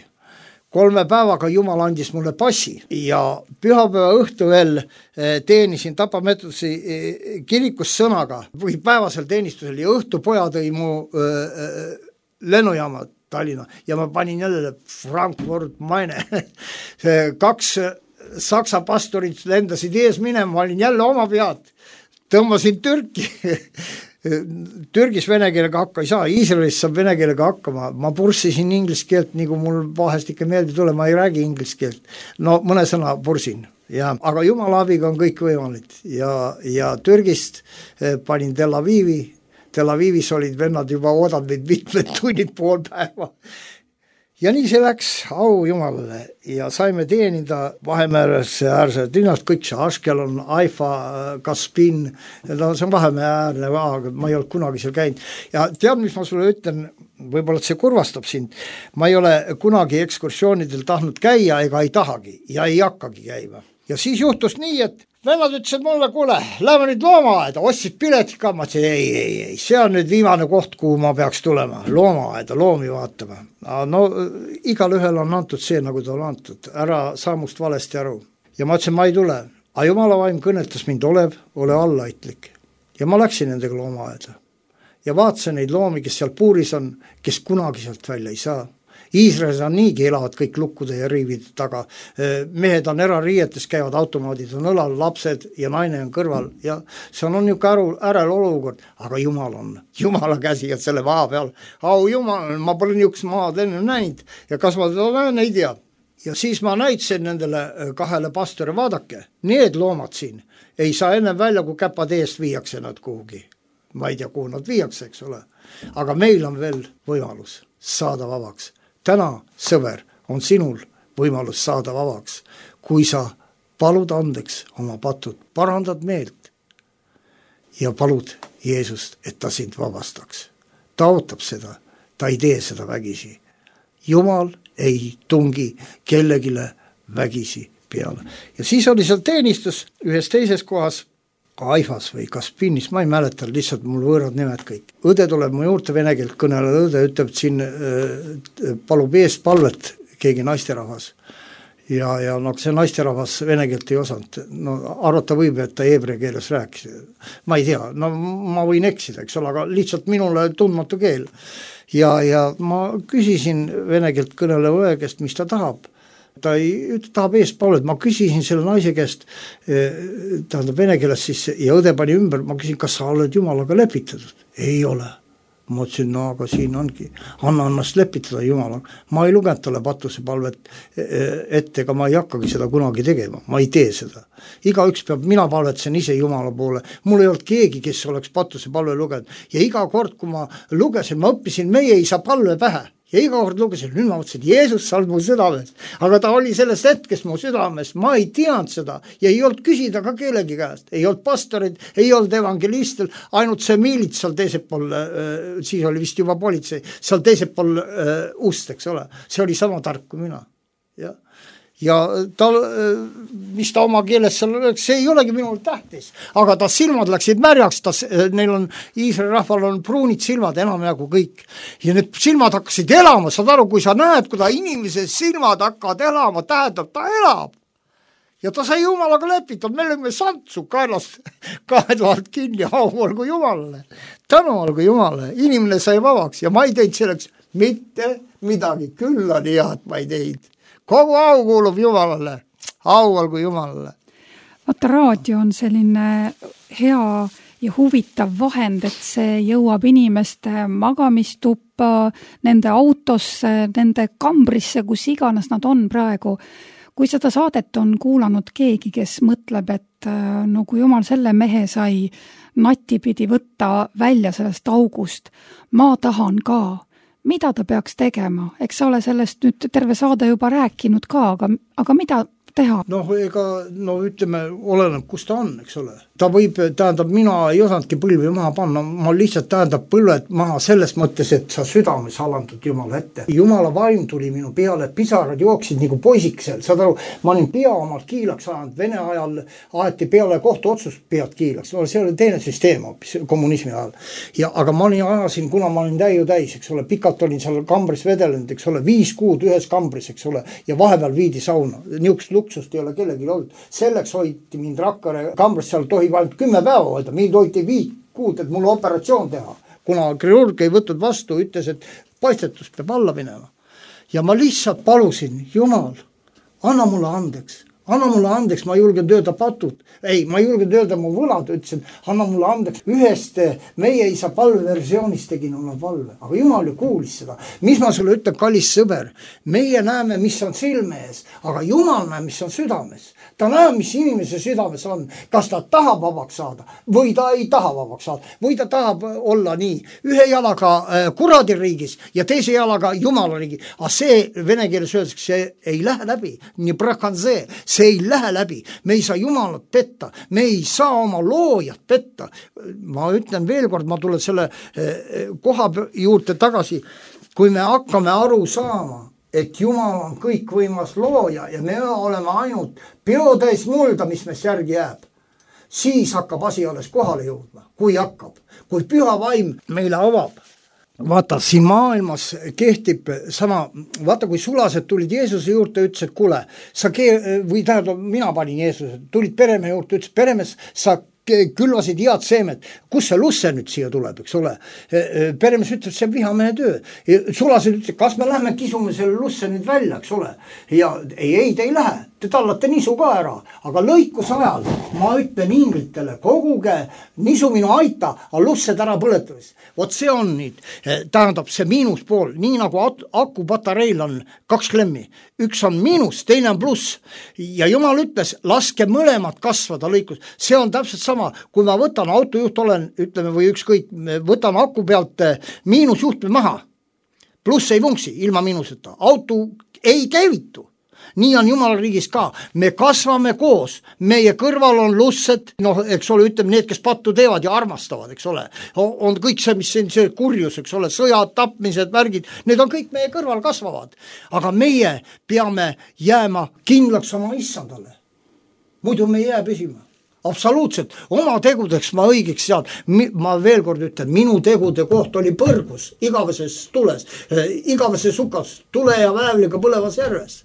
3 päevaga Jumal andis mulle passi ja pühapäeva õhtu veel teenisin Tapa Metoduse kirikus sõnaga või päevasel teenistusel ja õhtu poja tõi mu lennujaama Tallinna ja ma panin jälle Frankfurt Maine. 2 saksa pastorid lendasid ees minema, ma olin jälle oma pead. tõmbasin Türki Türgis vene keelega hakka ei saa, Iisraelis saab vene keelega hakkama, ma purssisin inglise keelt, nagu mul vahest ikka meeldi tule, ma ei räägi inglise keelt, no mõne sõna pursin, ja, aga Jumala abiga on kõik võimalik ja Türgist panin Tel Avivis olid vennad juba oodanud mitmed tunnid pool päeva. Ja nii see läks, au Jumalale, ja saime teenida Vahemeeresse linnast kõik see Ashkelon, Haifa, Kaspin, no see on Vahemäe äärne, aga ma ei olnud kunagi seal käinud. Ja tead, mis ma sulle ütlen, võib-olla see kurvastab sind, ma ei ole kunagi ekskursioonidel tahtnud käia ega ei tahagi ja ei hakkagi käima. Ja siis juhtus nii, et vennad ütlesid mulle, kuule, lähme nüüd loomaaeda, ostsid piletit ka, ma ütlesin, ei, see on nüüd viimane koht, kuhu ma peaks tulema, loomaaeda, loomi vaatama. No igal ühel on antud see, nagu ta on antud, ära saa must valesti aru. Ja ma ütlesin, ma ei tule, aga Jumala vaim kõnetas mind, ole allaitlik. Ja ma läksin nendega loomaaeda ja vaatasin neid loomi, kes seal puuris on, kes kunagi sealt välja ei saa. Iisraelis on niigi elavad kõik lukkude ja riivide taga. Mehed on erariietes, käivad automaadid, on õlal lapsed ja naine on kõrval ja see on niisugune ärel olukord, aga Jumal on, Jumala käsi on selle maa peal. Au Jumal, ma pole niisugust maad enne näinud ja kas ma seda näen, ei tea. Ja siis ma näitasin nendele 2 pastori, vaadake, need loomad siin ei saa enne välja, kui käpad eest viiakse nad kuhugi. Ma ei tea, kuhu nad viiakse, eks ole. Aga meil on veel võimalus saada vabaks. Täna, sõber, on sinul võimalus saada vabaks, kui sa palud andeks oma patud, parandad meelt ja palud Jeesust, et ta sind vabastaks. Ta ootab seda, ta ei tee seda vägisi. Jumal ei tungi kellegile vägisi peale. Ja siis oli seal teenistus ühes teises kohas, Haifas või Kaspinis, ma ei mäleta, lihtsalt mul võõrad nimed kõik. Õde tuleb mu juurde vene keelt kõneleda, õde ütleb, et siin palub eest palvet keegi naisterahvas. Ja no see naisterahvas vene keelt ei osanud. No arvata võib, et ta heebrea keeles rääkis. Ma ei tea, no ma võin eksida, eks ole, aga lihtsalt minule tundmatu keel. Ja ma küsisin vene keelt kõneleva õe käest, mis ta tahab. Ta tahab eest palvet, ma küsisin selle naise käest, tähendab vene keeles siis, ja õde pani ümber, ma küsin, kas sa oled Jumalaga lepitatud? Ei ole. Ma ütlesin, no aga siin ongi, anna ennast lepitada Jumalaga. Ma ei lugenud talle patuse palvet ette, ega ma ei hakkagi seda kunagi tegema, ma ei tee seda. Igaüks peab, mina palvetsen ise Jumala poole, mul ei olnud keegi, kes oleks patuse palve lugenud. Ja iga kord, kui ma lugesin, ma õppisin meie isa palve pähe. Ja iga kord lugesin, nüüd ma mõtlesin, Jeesus sa oled mu südames, aga ta oli sellest hetkest mu südames, ma ei teadnud seda ja ei olnud küsida ka kellegi käest, ei olnud pastorid, ei olnud evangelistel, ainult see miilits seal teisel pool, siis oli vist juba politsei, seal teisel pool ust, eks ole, see oli sama tark kui mina. Ja ta, mis ta oma keeles seal oleks, see ei olegi minul tähtis, aga ta silmad läksid märjaks, neil on, Iisraeli rahval on pruunid silmad enam jagu kõik ja need silmad hakkasid elama, saad aru, kui sa näed, kui ta inimese silmad hakkavad elama, tähendab, ta elab ja ta sai Jumalaga lepitud, me olime santsu kaelast kaedvalt kinni, au olgu Jumalale, tänu olgu Jumalale, inimene sai vabaks ja ma ei teinud selleks mitte midagi, küll on hea, et ma ei teinud. Kogu au kuulub Jumalale, au olgu Jumalale. Vaata, raadio on selline hea ja huvitav vahend, et see jõuab inimeste magamistuppa, nende autosse, nende kambrisse, kus iganes nad on praegu. Kui seda saadet on kuulanud keegi, kes mõtleb, et no kui Jumal selle mehe sai nati pidi võtta välja sellest august, ma tahan ka. Mida ta peaks tegema? Eks sa ole sellest nüüd terve saade juba rääkinud ka, aga mida teha? No ütleme, oleneb, kus ta on, eks ole. Ta võib, tähendab, mina ei osanudki põlvi maha panna, ma lihtsalt tähendab põlved maha selles mõttes, et sa südames alandud Jumala ette. Jumala vaim tuli minu peale, pisarad jooksid nagu poisiksel, saad aru, ma olin pea omalt kiilaks ajanud, Vene ajal aeti peale kohtu otsust pead kiilaks, see oli teine süsteem hoopis kommunismi ajal. Aga ma ajasin, kuna ma olin täis, eks ole, pikalt olin seal kambris vedelenud, eks ole, 5 kuud ühes kambris, eks ole, ja vahepeal viidi sauna, niisugust luksust ei ole kellelgi olnud. Selleks hoiti mind Rakkare kambris, seal tohib ainult 10 päeva hoida, mind hoiti 5 kuud, et mulle operatsioon teha. Kuna kirurg ei võtnud vastu, ütles, et paistetus peab alla minema. Ja ma lihtsalt palusin, Jumal, anna mulle andeks, anna mulle andeks, ma julgen öelda patud, ma julgen öelda mu võlad, ütlesin, anna mulle andeks. Ühest meie isa palveversioonist tegin oma palve, aga Jumal ju kuulis seda. Mis ma sulle ütlen, kallis sõber, meie näeme, mis on silme ees, aga Jumal näeb, mis on südames. Ta näeb, mis inimese südames on, kas ta tahab vabaks saada või ta ei taha vabaks saada või ta tahab olla nii ühe jalaga kuradi riigis ja teise jalaga Jumala riigi. Aga see vene keeles öeldakse, see ei lähe läbi, nii prakanze, see ei lähe läbi. Me ei saa Jumalat petta, me ei saa oma loojat petta. Ma ütlen veel kord, ma tulen selle koha juurde tagasi, kui me hakkame aru saama, et Jumal on kõikvõimas looja ja me oleme ainult peotäis mulda, mis meist järgi jääb. Siis hakkab asi alles kohale jõudma, kui hakkab, kui püha vaim meile avab. Vaata, siin maailmas kehtib sama, vaata kui sulased tulid Jeesuse juurde, ütles, et kuule, mina panin Jeesuse, tulid peremehe juurde, ütles, peremees, sa külvasid head seemed, kus see lusse nüüd siia tuleb, eks ole. Peremees ütles, see on vihamehe töö. Sulased ütles, kas me lähme kisume selle lusse nüüd välja, eks ole. Ja ei, te ei lähe, te tallate nisu ka ära, aga lõikus ajal ma ütlen inglitele, koguge nisu minu aita, aga lussed ära põletamis. Vot see on nüüd, tähendab see miinuspool, nii nagu akupatareil on 2 klemmi. Üks on miinus, teine on pluss. Ja Jumal ütles, laske mõlemad kasvada lõikus. See on täpselt sama, kui ma võtan autojuht olen, ütleme või ükskõik, võtan aku pealt miinusjuhtme maha. Pluss ei vunksi ilma miinuseta. Auto ei käivitu. Nii on Jumala riigis ka. Me kasvame koos. Meie kõrval on lussed, eks ole, ütleme need, kes pattu teevad ja armastavad, eks ole. On kõik see, mis see kurjus, eks ole, sõjad, tapmised, värgid, need on kõik meie kõrval kasvavad. Aga meie peame jääma kindlaks oma issandale. Muidu me ei jää püsima. Absoluutselt, oma tegudeks ma õigeks sean. Ma veel kord ütlen, minu tegude koht oli põrgus, igaveses tules, igaveses sukas, tule ja väävliga põlevas järves.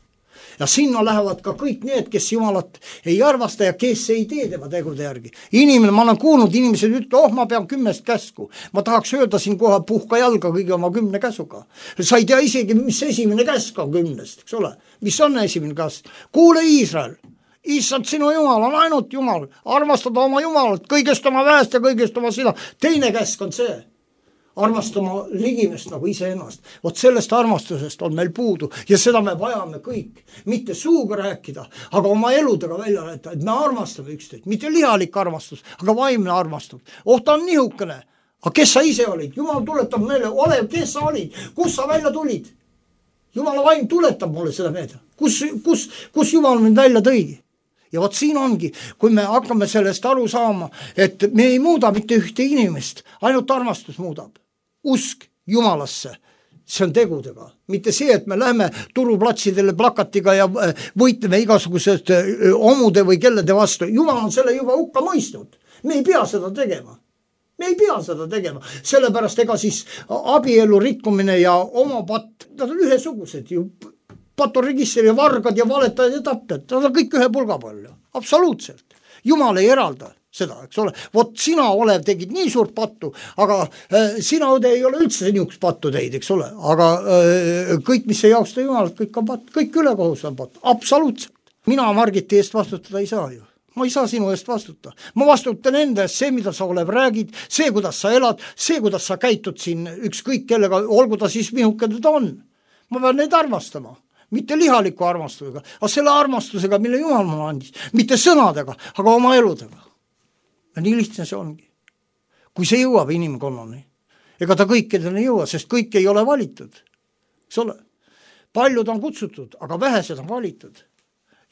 Ja sinna lähevad ka kõik need, kes Jumalat ei arvasta ja kes ei tee tema tegude järgi. Inimene, ma olen kuulnud, inimesed ütlevad, ma pean 10 käsku. Ma tahaks öelda siin kohe puhka jalga kõige oma 10 käsuga. Sa ei tea isegi, mis esimene käsk on 10, eks ole. Mis on esimene käsk? Kuule Iisrael, issand sinu Jumal on ainult Jumal. Armastada oma Jumalat, kõigest oma väest ja kõigest oma sina. Teine käsk on see. Armastama ligimest nagu iseennast. Vot sellest armastusest on meil puudu ja seda me vajame kõik. Mitte suuga rääkida, aga oma eludega välja rääkida, et me armastame üksteist. Mitte lihalik armastus, aga vaimne armastus. Ta on nihukene. Aga kes sa ise olid? Jumal tuletab meile, ole, kes sa olid? Kus sa välja tulid? Jumala vaim tuletab mulle seda meelde. Kus Jumal mind välja tõigi? Ja vot siin ongi, kui me hakkame sellest aru saama, et me ei muuda mitte ühte inimest, ainult armastus muudab. Usk Jumalasse, see on tegudega. Mitte see, et me lähme turuplatsidele plakatiga ja võitleme igasugused omude või kellede vastu. Jumal on selle juba hukka mõistnud. Me ei pea seda tegema. Sellepärast ega siis abielu rikkumine ja oma patt, nad on ühesugused ju. Patoregistri ja vargad ja valetajad ja tapjad, nad on kõik ühe pulga palju. Absoluutselt. Jumal ei eralda seda, eks ole. Vot sina, Olev, tegid nii suurt pattu, aga sina, Õde, ei ole üldse niisugust pattu teid, eks ole. Aga kõik, mis ei jausta Jumalat, kõik on pattu, kõik ülekohus on pattu. Absoluutselt. Mina Margiti eest vastutada ei saa ju. Ma ei saa sinu eest vastuta. Ma vastutan enda eest see, mida sa Olev räägid, see, kuidas sa elad, see, kuidas sa käitud siin ükskõik kellega, olgu ta siis minukene ta on. Ma pean neid armastama. Mitte lihaliku armastusega, aga selle armastusega, mille Jumal mulle andis. Mitte sõnadega, aga oma eludega. Ja nii lihtne see ongi. Kui see jõuab inimkonnani, ega ta kõikidele ei jõua, sest kõik ei ole valitud. Eks ole? Paljud on kutsutud, aga vähesed on valitud.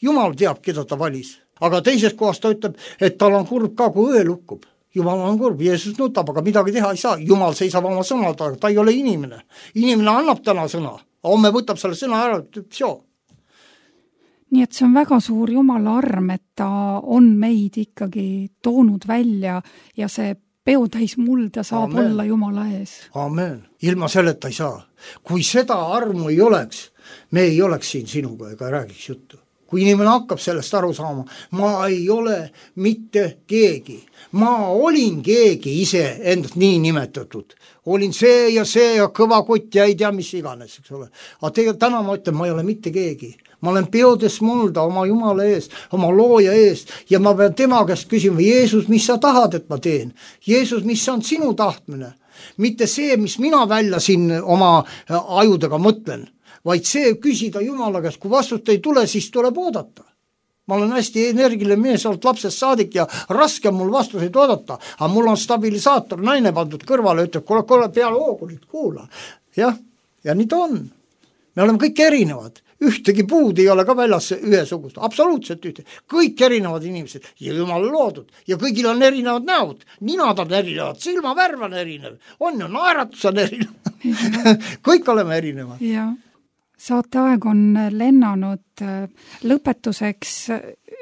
Jumal teab, keda ta valis. Aga teises kohas ta ütleb, et tal on kurb ka, kui õe lukkub. Jumal on kurb, Jeesus nutab, aga midagi teha ei saa. Jumal seisab oma sõna taga, ta ei ole inimene. Inimene annab täna sõna. Homme võtab selle sõna ära, Nii et see on väga suur Jumala arm, et ta on meid ikkagi toonud välja ja see peotäis mulda saab Amen. Olla Jumala ees. Amen. Ilma selleta ei saa. Kui seda armu ei oleks, me ei oleks siin sinuga ega räägiks juttu. kui inimene hakkab sellest aru saama, ma ei ole mitte keegi. Ma olin keegi ise endast nii nimetatud. Olin see ja kõva kott ja ei tea mis iganes, eks ole. Aga tegelikult täna ma ütlen, ma ei ole mitte keegi. Ma olen peodes mulda oma Jumala ees, oma looja ees ja ma pean tema käest küsima, Jeesus, mis sa tahad, et ma teen? Jeesus, mis on sinu tahtmine? Mitte see, mis mina välja siin oma ajudega mõtlen, vaid see küsida Jumala käest, kui vastust ei tule, siis tuleb oodata. Ma olen hästi energiline mees olnud lapsest saadik ja raske mul vastuseid oodata, aga mul on stabilisaator, naine pandud kõrvale, ütleb, kuule peale hoogulit, kuula. Jah, ja nii ta on. Me oleme kõik erinevad. Ühtegi puud ei ole ka väljas ühesugust, absoluutselt ühtegi. Kõik erinevad inimesed ja Jumal loodud ja kõigil on erinevad näod, ninad on erinevad, silmavärv on erinev, on ju, naeratus on erinev. Kõik oleme erinevad. Jah. Saateaeg on lennanud. Lõpetuseks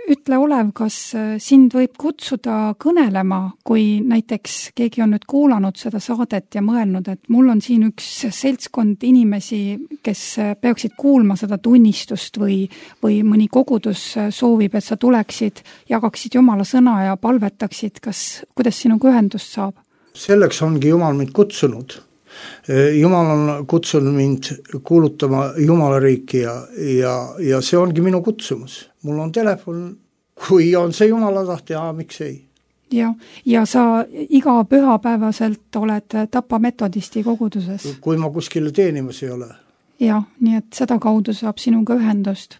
ütle, Olev, kas sind võib kutsuda kõnelema, kui näiteks keegi on nüüd kuulanud seda saadet ja mõelnud, et mul on siin üks seltskond inimesi, kes peaksid kuulma seda tunnistust või mõni kogudus soovib, et sa tuleksid, jagaksid Jumala sõna ja palvetaksid, kuidas sinuga ühendust saab? Selleks ongi Jumal mind kutsunud. Jumal on kutsunud mind kuulutama Jumala riiki ja see ongi minu kutsumus. Mul on telefon, kui on see Jumala tahte, miks ei? Ja sa iga pühapäevaselt oled Tapa metodisti koguduses? Kui ma kuskile teenimas ei ole. Ja, nii et seda kaudu saab sinuga ühendust.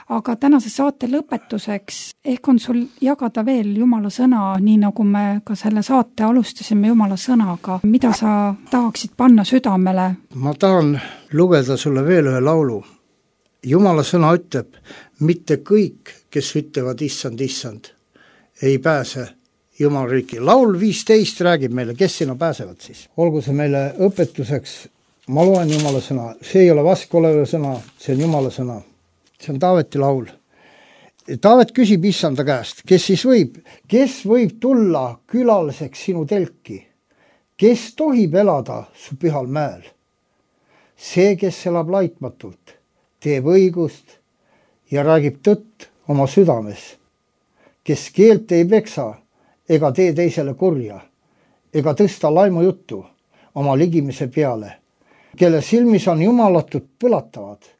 Aga tänase saate lõpetuseks ehk on sul jagada veel Jumala sõna, nii nagu me ka selle saate alustasime Jumala sõnaga. Mida sa tahaksid panna südamele? Ma tahan lugeda sulle veel ühe laulu. Jumala sõna ütleb, mitte kõik, kes ütlevad issand, ei pääse Jumala riiki. Laul 15 räägib meile, kes sinna pääsevad siis. Olgu see meile õpetuseks. Ma loen Jumala sõna. See ei ole vaske oleva sõna, see on Jumala sõna. See on Taaveti laul. Taavet küsib issanda käest, kes võib tulla külaliseks sinu telki? Kes tohib elada su pühal mäel? See, kes elab laitmatult, teeb õigust ja räägib tõtt oma südames. Kes keelt ei peksa ega tee teisele kurja, ega tõsta laimu juttu oma ligimise peale, kelle silmis on jumalatud põlatavad,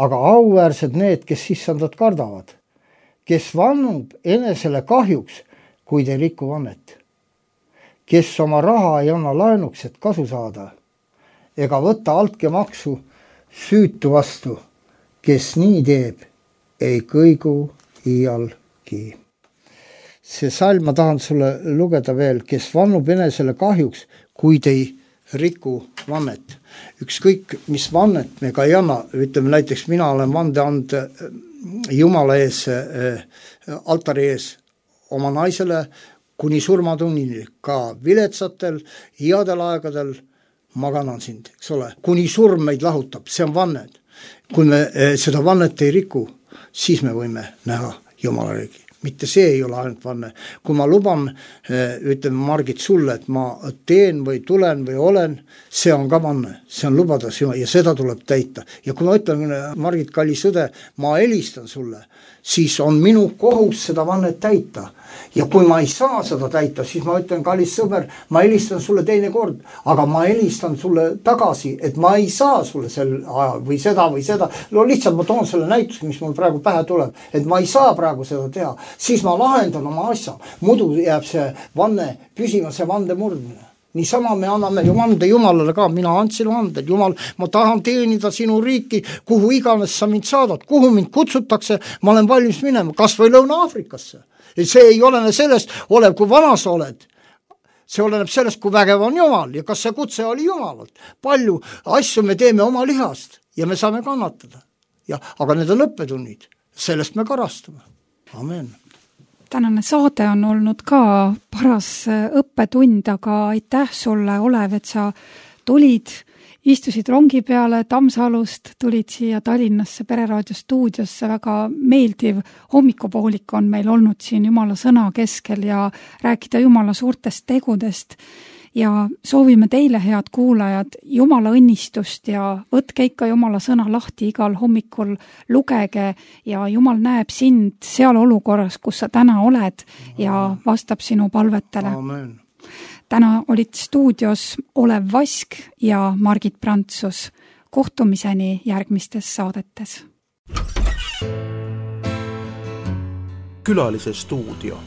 aga auväärsed need, kes issandat kardavad, kes vannub enesele kahjuks, kuid ei riku vannet, kes oma raha ei anna laenuks, et kasu saada, ega võta altkäemaksu süütu vastu, kes nii teeb, ei kõigu iialgi. See salm ma tahan sulle lugeda veel, kes vannub enesele kahjuks, kuid ei riku vannet. Ükskõik, mis vannet me ka ei anna, ütleme näiteks mina olen vande anda Jumala ees, altari ees oma naisele kuni surmatunnini, ka viletsatel, headel aegadel maganan sind, eks ole. Kuni surm meid lahutab, see on vannet. Kui me seda vannet ei riku, siis me võime näha Jumala riigi. Mitte see ei ole ainult vanne. Kui ma luban, ütleme Margit sulle, et ma teen või tulen või olen, see on ka vanne, see on lubada ja seda tuleb täita. Ja kui ma ütlen, Margit, kallis õde, ma helistan sulle, siis on minu kohus seda vannet täita. Ja kui ma ei saa seda täita, siis ma ütlen, kallis sõber, ma helistan sulle teine kord, aga ma helistan sulle tagasi, et ma ei saa sulle sel ajal või seda. No lihtsalt ma toon selle näituse, mis mul praegu pähe tuleb, et ma ei saa praegu seda teha, siis ma lahendan oma asja. Muidu jääb see vanne püsima, see vande murdmine. Niisama me anname ju vande Jumalale ka, mina andsin vande, Jumal, ma tahan teenida sinu riiki, kuhu iganes sa mind saadad, kuhu mind kutsutakse, ma olen valmis minema, kas või Lõuna-Aafrikasse. See ei olene sellest, olev kui vana sa oled. See oleneb sellest, kui vägev on Jumal ja kas see kutse oli Jumalalt. Palju asju me teeme oma lihast ja me saame kannatada. Aga need on õppetunnid, sellest me karastame. Amen. Tänane saade on olnud ka paras õppetund, aga aitäh sulle, Olev, et sa tulid, istusid rongi peale Tammsalust, tulid siia Tallinnasse Pereraadio stuudiosse, väga meeldiv hommikupoolik on meil olnud siin Jumala sõna keskel ja rääkida Jumala suurtest tegudest. ja soovime teile, head kuulajad, Jumala õnnistust ja võtke ikka Jumala sõna lahti igal hommikul, lugege ja Jumal näeb sind seal olukorras, kus sa täna oled ja vastab sinu palvetele. Amen. Täna olid stuudios Olev Vask ja Margit Prantsus. Kohtumiseni järgmistes saadetes. Külalise stuudio.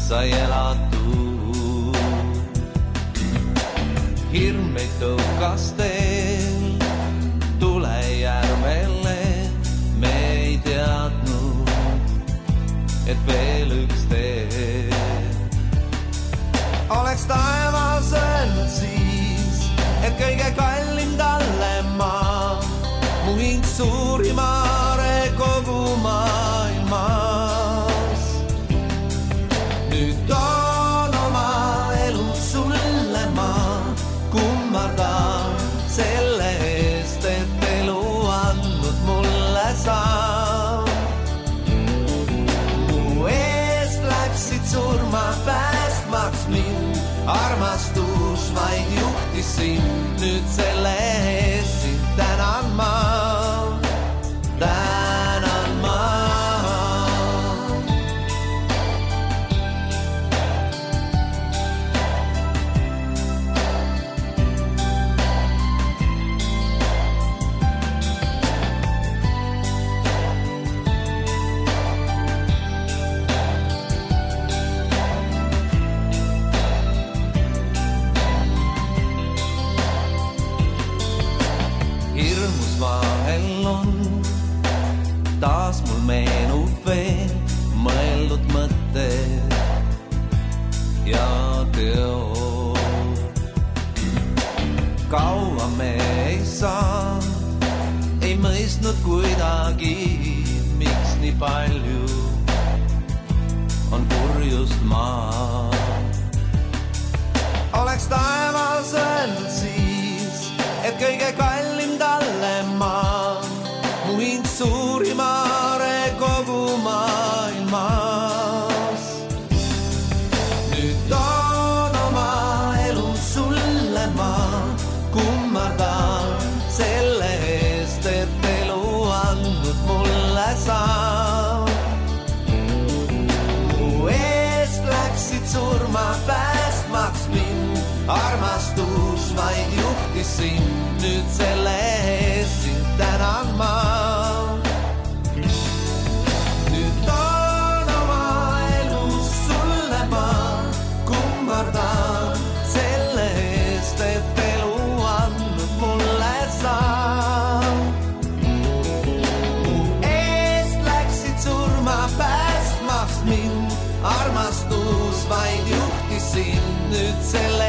sai elatud. Hirm meid tõukas teel tulejärvele, me ei teadnud, et veel üks tee. Oleks taevas öelnud siis, et kõige kallim talle maa, mu hing suurimare kogu maailmas. Nüüd toon oma elu sulle ma kummardan selle eest, et elu andnud mulle saa. Mu eest läksid surma päästmaks mind, armastus vaid juhtis sind, nüüd selle eest sind tänan ma. Tänan ma. Hirmus vahel on taas mul meenub veel mõeldud mõtted ja teod. Kaua me ei saanud, ei mõistnud kuidagi, miks nii palju on purjust maa. Oleks taevas öelnud siis, et kõige kallim talle maa, mu hing suurimare kogu maailmas. Nüüd toon oma elu sulle ma kummardan selle eest, et elu andnud mulle saa. Mu eest läksid surma päästmaks mind, armastus vaid juhtis sind, nüüd selle eest sind tänan ma. Nüüd toon oma elu sulle ma kummardan selle eest, et elu andnud mulle saa. Mu eest läksid surma päästmaks mind, armastus vaid juhtis sind, nüüd selle